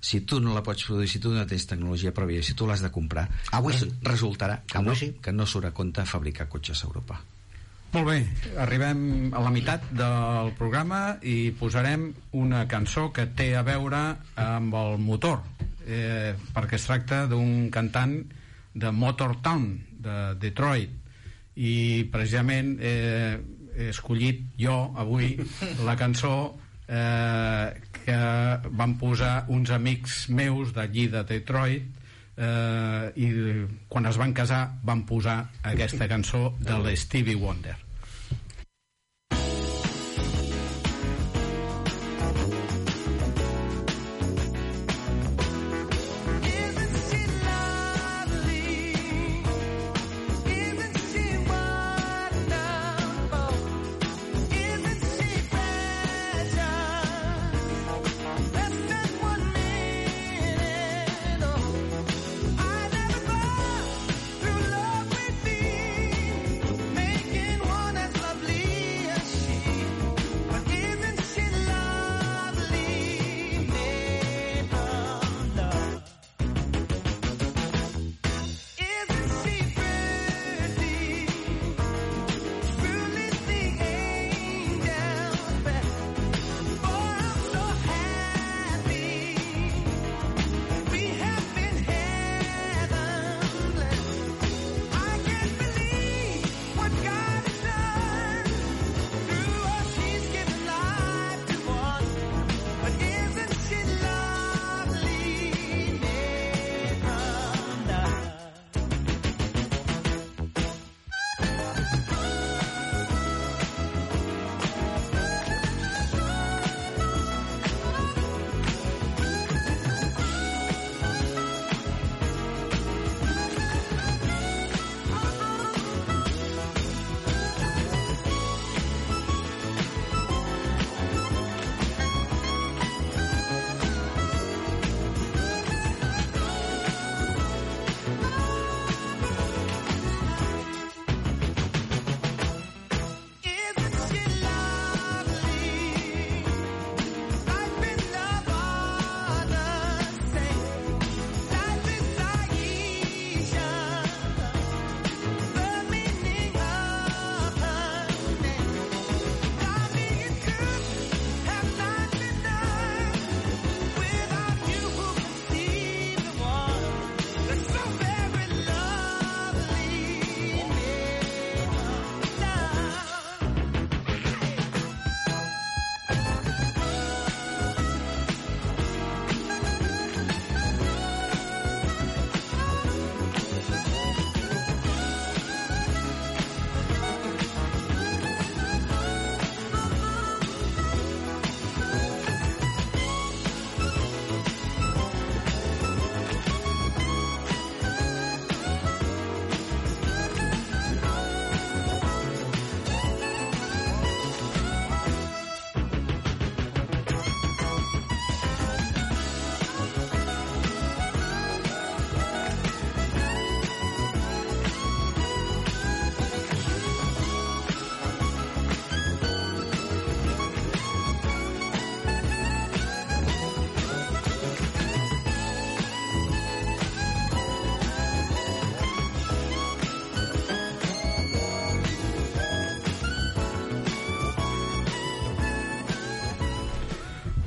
Si tu no la pots produir, si tu no tens tecnologia pròpia, si tu l'has de comprar, avui sí. resultarà que avui no, sí. que no surt a compte fabricar cotxes a Europa. Molt bé, arribem a la meitat del programa i posarem una cançó que té a veure amb el motor, eh, perquè es tracta d'un cantant de Motortown, de Detroit, i precisament eh, he escollit jo avui la cançó eh, que van posar uns amics meus d'allí de Detroit, eh, i quan es van casar van posar aquesta cançó de l'Stevie Wonder. Making one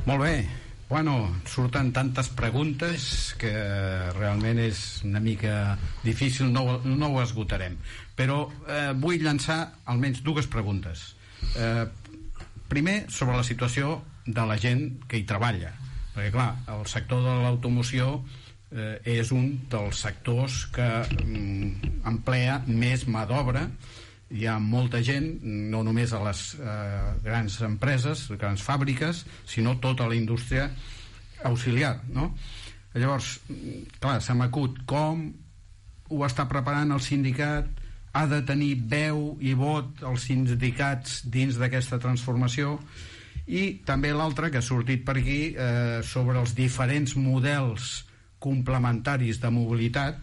Molt bé. Bueno, surten tantes preguntes que realment és una mica difícil, no, no ho esgotarem. Però eh, vull llançar almenys dues preguntes. Eh, primer, sobre la situació de la gent que hi treballa. Perquè, clar, el sector de l'automoció eh, és un dels sectors que mm, emplea més mà d'obra. Hi ha molta gent, no només a les eh, grans empreses, grans fàbriques, sinó tota la indústria auxiliar, no? Llavors, clar, se m'acut com ho està preparant el sindicat, ha de tenir veu i vot els sindicats dins d'aquesta transformació, i també l'altre que ha sortit per aquí eh, sobre els diferents models complementaris de mobilitat.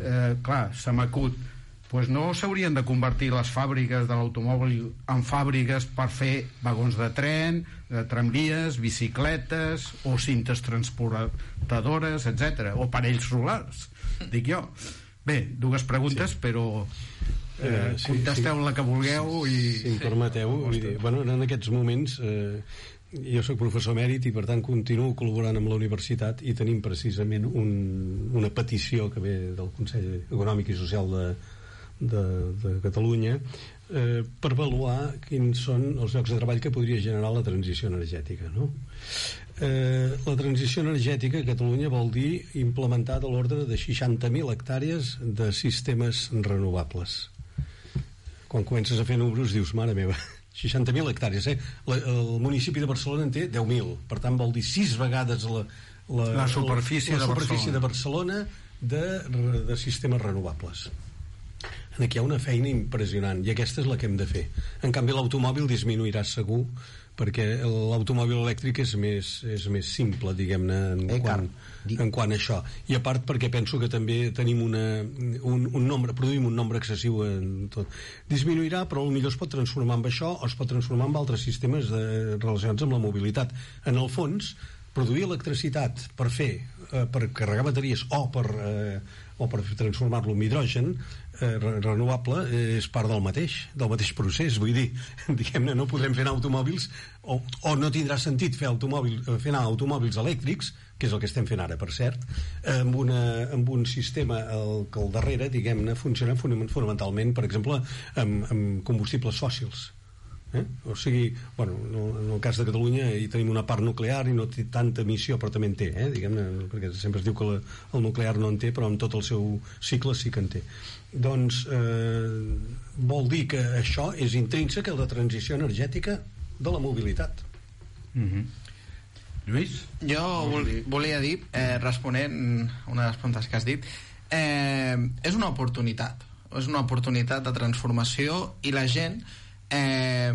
Eh, clar, se m'acut, pues no s'haurien de convertir les fàbriques de l'automòbil en fàbriques per fer vagons de tren, de tramvies, bicicletes o cintes transportadores, etcètera, o parells solars, dic jo. Bé, dues preguntes, sí. Però eh, eh, sí, contesteu sí. La que vulgueu i... Si em permeteu, vull dir, bueno, en aquests moments eh, jo soc professor emèrit i per tant continuo col·laborant amb la universitat i tenim precisament un, una petició que ve del Consell Econòmic i Social de De, de Catalunya eh, per avaluar quins són els llocs de treball que podria generar la transició energètica, no? Eh, la transició energètica a Catalunya vol dir implementar de l'ordre de seixanta mil hectàrees de sistemes renovables. Quan comences a fer números dius, mare meva, seixanta mil hectàrees, eh? La, el municipi de Barcelona en té deu mil, per tant vol dir sis vegades la, la, la superfície, la, la de, superfície Barcelona. de Barcelona de, de sistemes renovables. Aquí hi ha una feina impressionant i aquesta és la que hem de fer. En canvi l'automòbil disminuirà segur perquè l'automòbil elèctric és més, és més simple, diguem-ne, en, eh, quant, en quant a això. I a part perquè penso que també tenim una, un, un nombre, produïm un nombre excessiu en tot. Disminuirà, però potser es pot transformar en això o es pot transformar en altres sistemes de, relacionats amb la mobilitat. En el fons, produir electricitat per fer, eh, per carregar bateries o per, eh, o per transformar-lo en hidrogen eh, renovable eh, és part del mateix del mateix procés, vull dir, diguem-ne, no podrem fer anar automòbils o, o no tindrà sentit fer, automòbil, fer anar automòbils elèctrics, que és el que estem fent ara, per cert, amb, una, amb un sistema el, que al darrere, diguem-ne, funciona fonamentalment, per exemple, amb, amb combustibles fòssils. Eh? O sigui, bueno, en el cas de Catalunya hi tenim una part nuclear i no té tanta emissió, però també en té, eh? Diguem-ne, perquè sempre es diu que la, el nuclear no en té, però en tot el seu cicle sí que en té. Doncs eh, vol dir que això és intrínsec a la transició energètica de la mobilitat. Mm-hmm. Lluís? Jo vol, volia dir, eh, responent una de les preguntes que has dit, eh, és una oportunitat, és una oportunitat de transformació i la gent Eh,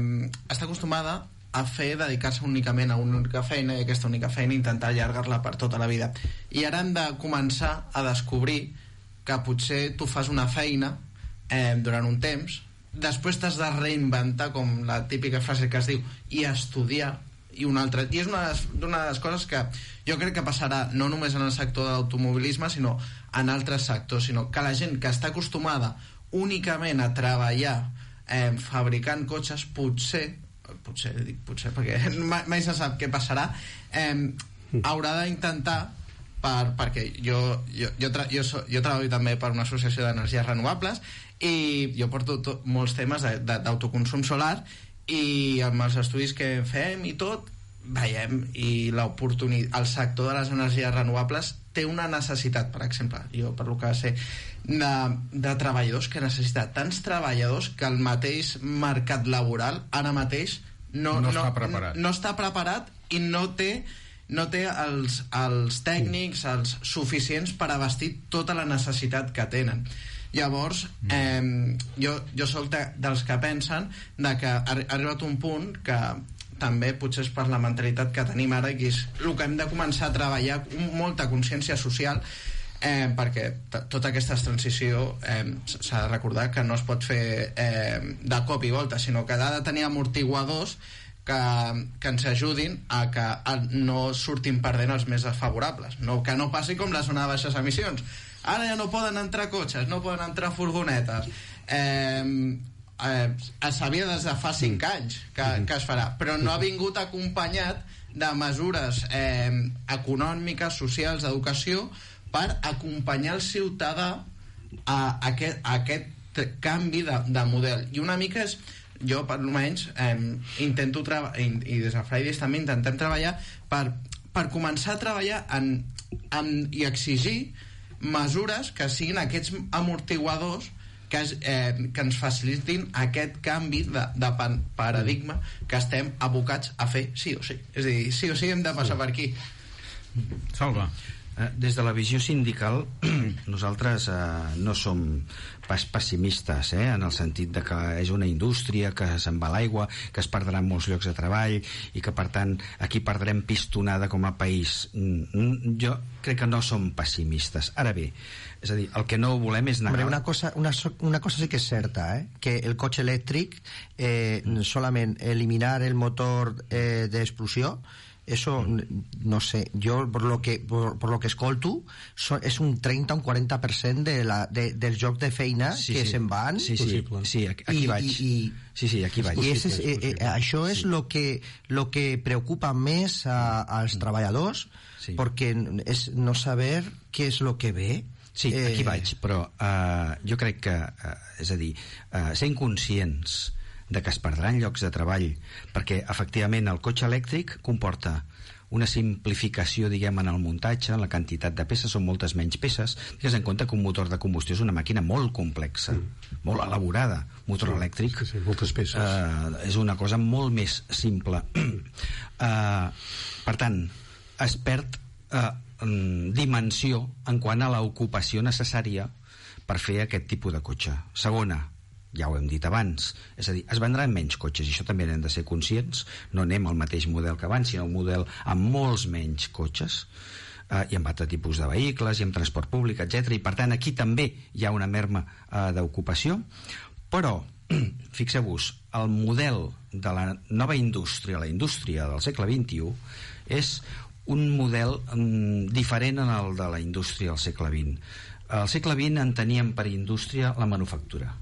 està acostumada a fer, dedicar-se únicament a una única feina i aquesta única feina intentar allargar-la per tota la vida, i ara hem de començar a descobrir que potser tu fas una feina eh, durant un temps, després t'has de reinventar, com la típica frase que es diu, i estudiar i una altra, i és una, una de les coses que jo crec que passarà no només en el sector de l'automobilisme sinó en altres sectors, sinó que la gent que està acostumada únicament a treballar Eh, fabricant cotxes, potser potser, dic potser perquè mai, mai se sap què passarà, eh, haurà d'intentar per, perquè jo, jo, jo, tra, jo, so, jo treballo també per una associació d'energies renovables i jo porto to, molts temes d'autoconsum solar i amb els estudis que fem i tot veiem i l'oportunitat, el sector de les energies renovables té una necessitat, per exemple, jo per lo que sé de, de treballadors, que necessita tants treballadors que el mateix mercat laboral ara mateix no, no, no, està, preparat. no, no està preparat i no té, no té els, els tècnics els suficients per abastir tota la necessitat que tenen. Llavors eh, jo, jo soc de, dels que pensen de que ha arribat un punt que també potser és per la mentalitat que tenim ara, que és el que hem de començar a treballar, molta consciència social, eh, perquè t- tota aquesta transició eh, s'ha de recordar que no es pot fer eh, de cop i volta, sinó que ha de tenir amortiguadors que, que ens ajudin a que no surtin perdent els més desfavorables, no, que no passi com la zona de baixes emissions. Ara ja no poden entrar cotxes, no poden entrar furgonetes, eh, eh, es sabia des de fa cinc anys que, que es farà, però no ha vingut acompanyat de mesures eh, econòmiques, socials, d'educació, per acompanyar el ciutadà a aquest, a aquest canvi de, de model. I una mica és, jo per almenys eh, intento treballar, i, i des de Fridays també intentem treballar per, per començar a treballar en, en, i exigir mesures que siguin aquests amortiguadors que, es, eh, que ens facilitin aquest canvi de, de paradigma que estem abocats a fer sí o sí. És a dir, sí o sí hem de passar sí. per aquí. Salva. Des de la visió sindical nosaltres eh, no som pas pessimistes, eh, en el sentit de que és una indústria que se'n va a l'aigua, que es perdran molts llocs de treball i que per tant aquí perdrem pistonada com a país. Jo crec que no som pessimistes. Ara bé, és a dir, el que no volem és negar... Hombre, una cosa, una, una cosa sí que és certa, eh? Que el cotxe elèctric eh, solament eliminar el motor eh, d'explosió, eso no sé, yo por lo que por, por lo que escolto so, és un trenta o un quaranta per cent de la, de, del joc de feina sí, que sí. se'n van sí, sí, sí, aquí, aquí I, vaig i, i, sí, sí, aquí vaig i és, eh, eh, això és sí. lo que lo que preocupa més a, als treballadors sí. perquè és no saber què és lo que ve. Sí, aquí eh... vaig, però uh, jo crec que uh, és a dir, uh, ser inconscients de que es perdran llocs de treball, perquè efectivament el cotxe elèctric comporta una simplificació, diguem, en el muntatge, en la quantitat de peces, són moltes menys peces. Digues en compte que un motor de combustió és una màquina molt complexa, mm. molt elaborada. Motor sí, elèctric sí, sí, moltes peces. Uh, és una cosa molt més simple. uh, per tant, es perd uh, dimensió en quant a l'ocupació necessària per fer aquest tipus de cotxe. Segona, ja ho hem dit abans, és a dir, es vendran menys cotxes i això també n'hem de ser conscients, no anem al mateix model que abans, sinó un model amb molts menys cotxes eh, i amb altres tipus de vehicles i amb transport públic, etcètera. I per tant aquí també hi ha una merma eh, d'ocupació, però fixeu-vos, el model de la nova indústria, la indústria del segle vint-i-u, és un model mm, diferent en el de la indústria del segle vint. Al segle vint enteníem per indústria la manufactura.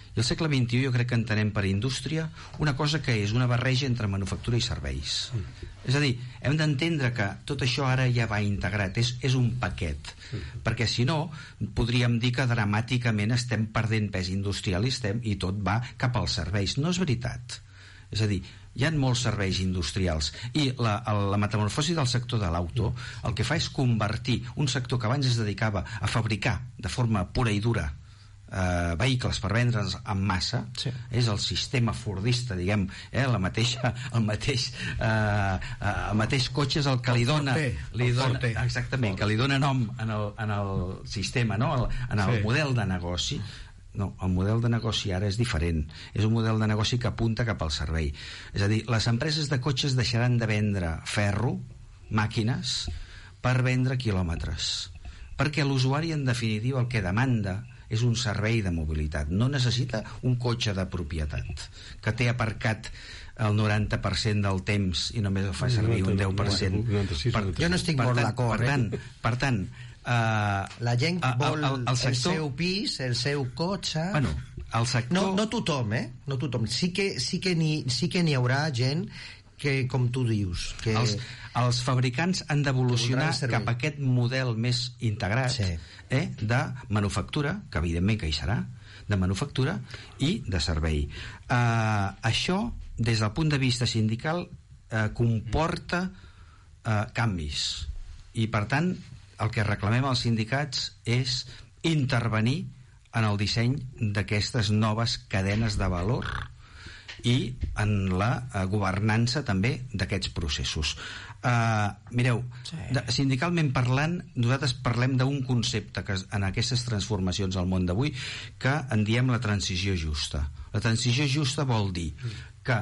I al segle vint-i-u jo crec que entenem per indústria una cosa que és una barreja entre manufactura i serveis. Mm. És a dir, hem d'entendre que tot això ara ja va integrat, és, és un paquet. Mm. Perquè si no, podríem dir que dramàticament estem perdent pes industrial i, estem, i tot va cap als serveis. No és veritat. És a dir, hi ha molts serveis industrials i la, la metamorfosi del sector de l'auto el que fa és convertir un sector que abans es dedicava a fabricar de forma pura i dura Uh, vehicles per vendre'ns en massa sí. És el sistema fordista, diguem, eh, la mateixa, el mateix uh, uh, el mateix cotxe és el que li dona, li dona exactament, que li dona nom en el, en el sistema, no? el, en el sí. model de negoci. No, el model de negoci ara és diferent, és un model de negoci que apunta cap al servei. És a dir, les empreses de cotxes deixaran de vendre ferro, màquines, per vendre quilòmetres, perquè l'usuari en definitiva el que demanda és un servei de mobilitat, no necessita un cotxe de propietat que té aparcat el noranta per cent del temps i només el fa servir un deu per cent. Per, jo no estic molt d'acord. Per tant, per tant uh, la gent vol el, el, el, sector... el seu pis, el seu cotxe... Bueno, el sector... No, no tothom, eh? No tothom. Sí que, sí que n'hi sí que n'hi haurà gent que, com tu dius... Que... Els, els fabricants han d'evolucionar cap a aquest model més integrat sí. eh, de manufactura, que evidentment que hi serà, de manufactura i de servei. Uh, això, des del punt de vista sindical, uh, comporta uh, canvis. I, per tant, el que reclamem als sindicats és intervenir en el disseny d'aquestes noves cadenes de valor i en la uh, governança també d'aquests processos. Uh, mireu, sí. de, sindicalment parlant, nosaltres parlem d'un concepte que en aquestes transformacions al món d'avui que en diem la transició justa. La transició justa vol dir que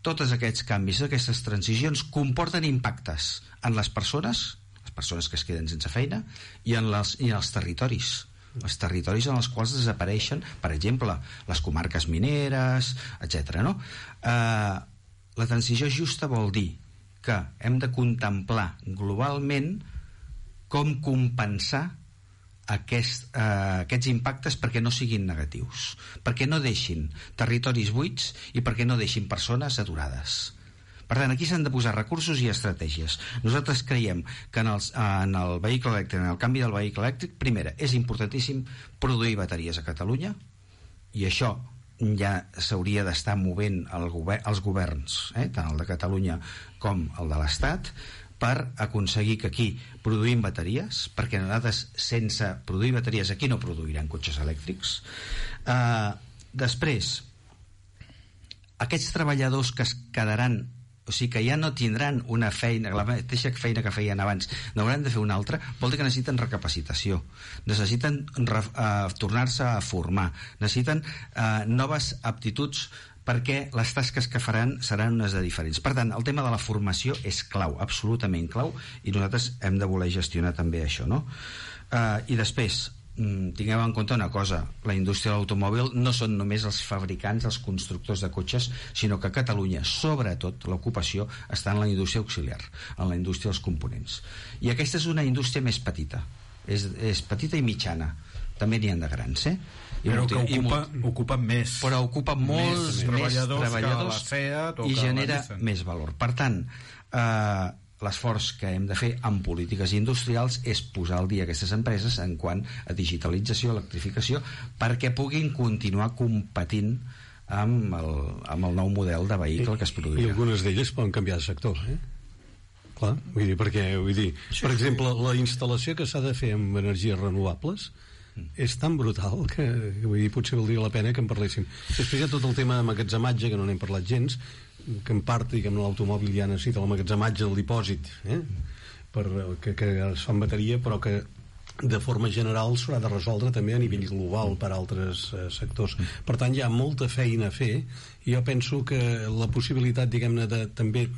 tots aquests canvis, aquestes transicions comporten impactes en les persones, les persones que es queden sense feina, i en, les, i en els territoris. Els territoris en els quals desapareixen, per exemple, les comarques mineres, etcètera. No? Eh, la transició justa vol dir que hem de contemplar globalment com compensar aquest, eh, aquests impactes perquè no siguin negatius, perquè no deixin territoris buits i perquè no deixin persones aturades. Per tant, aquí s'han de posar recursos i estratègies. Nosaltres creiem que en, els, en el vehicle elèctric, en el canvi del vehicle elèctric, primera, és importantíssim produir bateries a Catalunya, i això ja s'hauria d'estar movent el govern, els governs, eh, tant el de Catalunya com el de l'Estat, per aconseguir que aquí produïm bateries, perquè nosaltres sense produir bateries aquí no produiran cotxes elèctrics. Uh, després, aquests treballadors que es quedaran, o sigui que ja no tindran una feina, la mateixa feina que feien abans, n'hauran de fer una altra, vol dir que necessiten recapacitació, necessiten re, uh, tornar-se a formar, necessiten uh, noves aptituds, perquè les tasques que faran seran unes de diferents. Per tant, el tema de la formació és clau, absolutament clau, i nosaltres hem de voler gestionar també això, no? Uh, I després, tinguem en compte una cosa, la indústria de l'automòbil no són només els fabricants, els constructors de cotxes, sinó que a Catalunya, sobretot, l'ocupació està en la indústria auxiliar, en la indústria dels components. I aquesta és una indústria més petita, és, és petita i mitjana, també n'hi ha de grans, eh? I però molt, que ocupa, molt, ocupa més però ocupa molts més, més treballadors, treballadors que la Fiat o i que genera la més valor. Per tant, eh, l'esforç que hem de fer en polítiques industrials és posar al dia aquestes empreses en quant a digitalització, electrificació, perquè puguin continuar competint amb el, amb el nou model de vehicle que es produirà. I algunes d'elles poden canviar de sector, eh? Clar, vull dir, perquè, vull dir, sí, per exemple, la instal·lació que s'ha de fer amb energies renovables és tan brutal que, vull dir, potser valdria la pena que en parléssim. Després hi ha tot el tema de magatzematge, que no n'hem parlat gens, que en part, diguem, l'automòbil ja necessita el magatzematge del dipòsit, eh? per, que, que es fa en bateria, però que de forma general s'haurà de resoldre també a nivell global per altres eh, sectors. Per tant, hi ha molta feina a fer, i jo penso que la possibilitat, diguem-ne, de també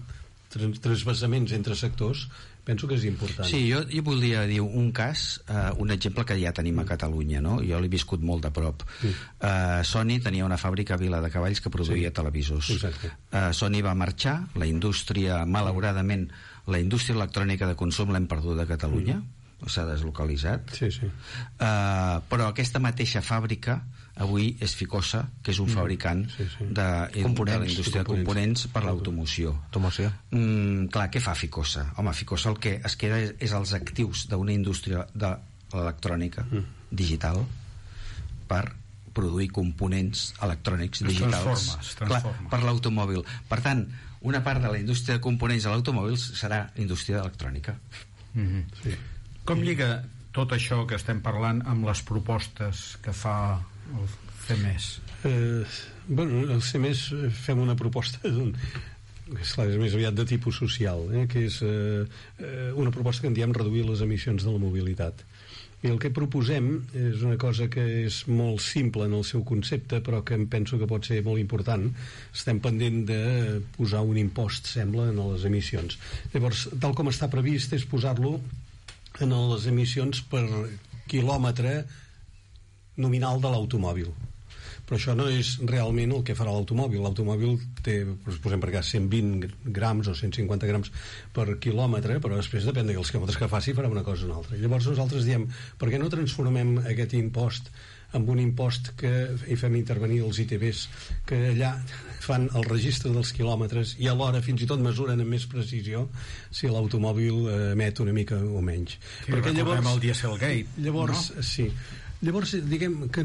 transvasaments entre sectors, penso que és important. Sí, jo, jo voldria dir un cas, eh, un exemple que ja tenim a Catalunya, no? Jo l'he viscut molt de prop. Sí. Eh, Sony tenia una fàbrica a Vila de Cavalls que produïa sí. televisors. Eh, Sony va marxar, la indústria, malauradament, la indústria electrònica de consum l'hem perdut a Catalunya, mm. s'ha deslocalitzat. Sí, sí. Eh, però aquesta mateixa fàbrica avui és Ficosa, que és un fabricant sí, sí. De, de la indústria de components per l'automoció. Mm, clar, què fa Ficosa? Home, Ficosa el que es queda és, és els actius d'una indústria de l'electrònica mm. digital per produir components electrònics es digitals transforma, es transforma. Clar, per l'automòbil. Per tant, una part de la indústria de components de l'automòbil serà indústria electrònica. Mm-hmm. Sí. Com lliga tot això que estem parlant amb les propostes que fa el C M E S? Eh, bueno, el C M E S fem una proposta d'un, esclar, és més aviat de tipus social, eh, que és eh, una proposta que en diem reduir les emissions de la mobilitat. I el que proposem és una cosa que és molt simple en el seu concepte, però que em penso que pot ser molt important. Estem pendent de posar un impost, sembla, en les emissions. Llavors, tal com està previst, és posar-lo en les emissions per quilòmetre nominal de l'automòbil. Però això no és realment el que farà l'automòbil. L'automòbil té, posem per cas, cent vint grams o cent cinquanta grams per quilòmetre, però després depèn dels quilòmetres que faci farà una cosa o una altra. Llavors nosaltres diem, per què no transformem aquest impost amb un impost que hi fem intervenir els I T Bs, que allà fan el registre dels quilòmetres i alhora fins i tot mesuren amb més precisió si l'automòbil emet una mica o menys. Sí, perquè llavors el Dieselgate, llavors, no? Sí. Llavors, diguem que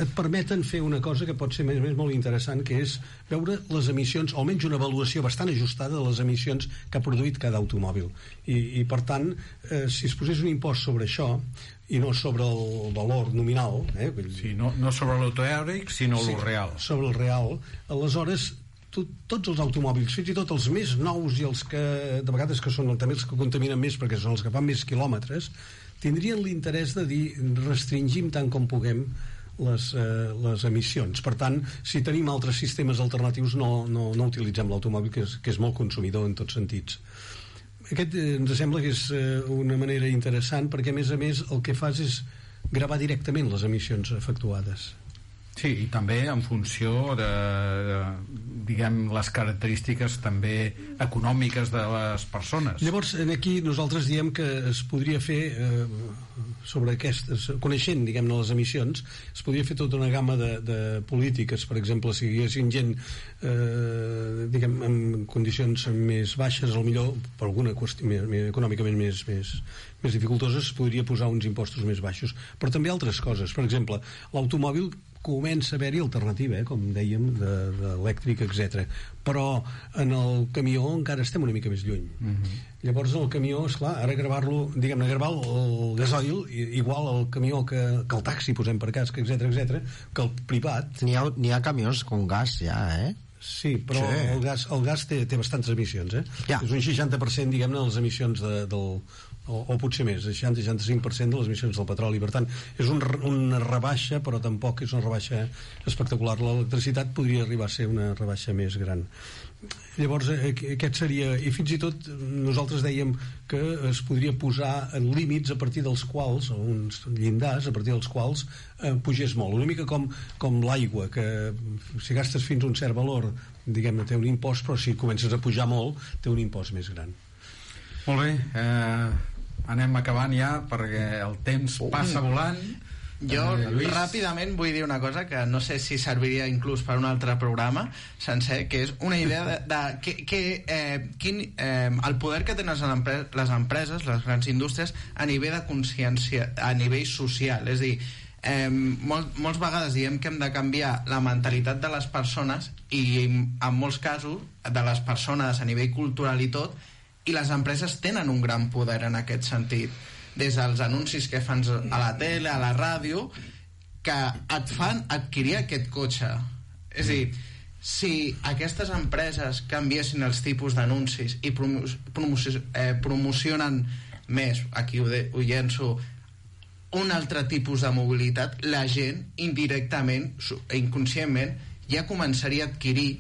et permeten fer una cosa que pot ser més, més molt interessant, que és veure les emissions, o almenys una avaluació bastant ajustada de les emissions que ha produït cada automòbil. I, i per tant, eh, si es posés un impost sobre això, i no sobre el valor nominal, eh? Sí, no, no sobre l'autoèric, sinó sí, el real. Sobre el real, aleshores tot, tots els automòbils, fins i tot els més nous i els que de vegades que són també els que contaminen més perquè són els que fan més quilòmetres, tindrien l'interès de dir restringim tant com puguem les, eh, les emissions. Per tant, si tenim altres sistemes alternatius no, no, no utilitzem l'automòbil, que és, que és molt consumidor en tots sentits. Aquest eh, ens sembla que és eh, una manera interessant perquè a més a més el que fas és gravar directament les emissions efectuades. Sí, i també en funció de, de diguem, les característiques també econòmiques de les persones. Llavors, aquí nosaltres diem que es podria fer eh, sobre aquestes, coneixent, diguem-ne, les emissions, es podria fer tota una gamma de, de polítiques. Per exemple, si hi haguessin gent eh, diguem, en condicions més baixes, millor per alguna qüestió més, més, econòmicament més, més, més dificultoses, es podria posar uns impostos més baixos. Però també altres coses. Per exemple, l'automòbil comença a haver-hi alternativa, eh, com dèiem, d'elèctric, etcètera. Però en el camió encara estem una mica més lluny. Uh-huh. Llavors el camió, esclar, ara gravar-lo, diguem-ne, gravar el, el gasoil, igual el camió que, que el taxi, posem per cas, etcètera, etcètera, que el privat... N'hi ha, n'hi ha camions con gas ja, eh? Sí, però sí. El gas, el gas té, té bastantes emissions, eh? Ja. És un seixanta per cent, diguem-ne, de les emissions de, del... O, o potser més, seixanta a seixanta-cinc per cent de les emissions del petroli. Per tant, és un, una rebaixa, però tampoc és una rebaixa espectacular. L'electricitat podria arribar a ser una rebaixa més gran. Llavors, aquest seria... I fins i tot nosaltres dèiem que es podria posar en límits a partir dels quals, o uns llindars a partir dels quals eh, pugés molt. Una mica com, com l'aigua, que si gastes fins a un cert valor, diguem-ne, té un impost, però si comences a pujar molt, té un impost més gran. Molt bé, eh, anem acabant ja perquè el temps passa volant. Jo eh, ràpidament vull dir una cosa que no sé si serviria inclús per un altre programa sencer, que és una idea de, de que, que, eh, quin, eh, el poder que tenen les empreses, les empreses, les grans indústries a nivell de consciència, a nivell social. És a dir, eh, molt, molts vegades diem que hem de canviar la mentalitat de les persones i en molts casos de les persones a nivell cultural i tot, i les empreses tenen un gran poder en aquest sentit, des dels anuncis que fan a la tele, a la ràdio, que et fan adquirir aquest cotxe. És a dir, si aquestes empreses canviessin els tipus d'anuncis i promo promoci eh, promocionen més, aquí ho, de, ho llenço, un altre tipus de mobilitat, la gent indirectament, inconscientment, ja començaria a adquirir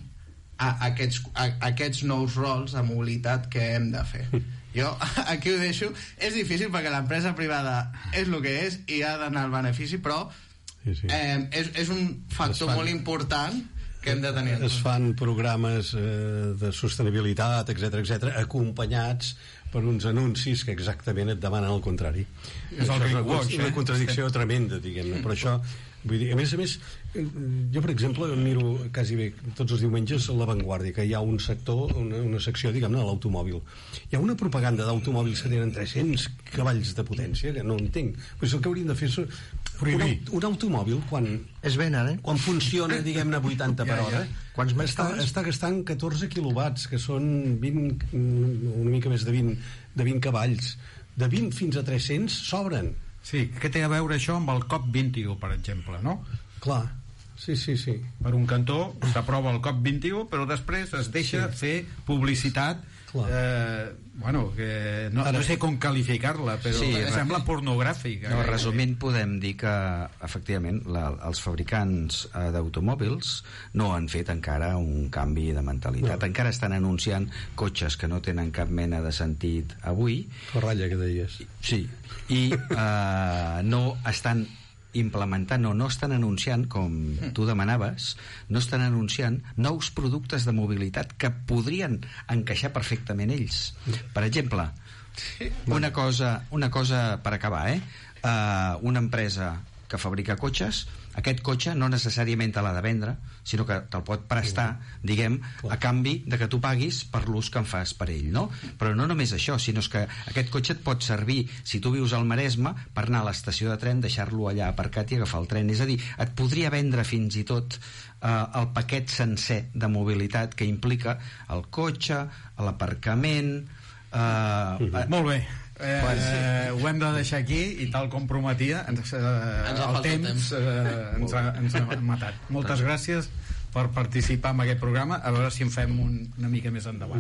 a aquests, a aquests nous rols de mobilitat que hem de fer. Jo aquí ho deixo. És difícil perquè l'empresa privada és el que és i ha d'anar al benefici, però sí, sí. Eh, és, és un factor fan, molt important que hem de tenir. Es fan programes eh, de sostenibilitat, etcètera, etcètera, acompanyats per uns anuncis que exactament et demanen el contrari. És el greenwash, una eh? contradicció tremenda, diguem-ne. Per això, vull dir, a més a més, jo, per exemple, miro quasi bé tots els diumenges a La Vanguardia, que hi ha un sector, una, una secció, diguem-ne, de l'automòbil. Hi ha una propaganda d'automòbils que tenen tres-cents cavalls de potència, que no entenc. Però el que hauríem de fer és un, un automòbil, quan es venen, eh? Quan funciona, diguem-ne, vuitanta per hora, ja, ja. Quants més està, està gastant catorze quilowatts, que són vint, una mica més de vint, de vint cavalls. De vint fins a tres-cents sobren. Sí, què té a veure això amb el COP vint-i-u, per exemple, no? Clar, sí, sí, sí. Per un cantó s'aprova el COP vint-i-u, però després es deixa sí. fer publicitat, eh, bueno, que no, Ara, no sé com qualificar-la, però sí, sembla pornogràfica. No, resumint, podem dir que, efectivament, la, els fabricants eh, d'automòbils no han fet encara un canvi de mentalitat. No. Encara estan anunciant cotxes que no tenen cap mena de sentit avui. La ratlla que deies. Sí, i eh, no estan implementant o no estan anunciant, com tu demanaves, no estan anunciant nous productes de mobilitat que podrien encaixar perfectament ells. Per exemple, una cosa, una cosa per acabar, eh? Uh, una empresa que fabrica cotxes, aquest cotxe no necessàriament te l'ha de vendre, sinó que te'l pot prestar, diguem, a canvi de que tu paguis per l'ús que en fas per ell, no? Però no només això, sinó que aquest cotxe et pot servir, si tu vius al Maresme, per anar a l'estació de tren, deixar-lo allà aparcat i agafar el tren. És a dir, et podria vendre fins i tot eh, el paquet sencer de mobilitat que implica el cotxe, l'aparcament... Eh, eh, Molt bé. Eh, bueno, sí. eh, ho hem de deixar aquí i tal com prometia ens, eh, ens el temps, temps. Eh, ens, ha, ens ha matat. Moltes gràcies per participar en aquest programa, a veure si en fem un, una mica més endavant.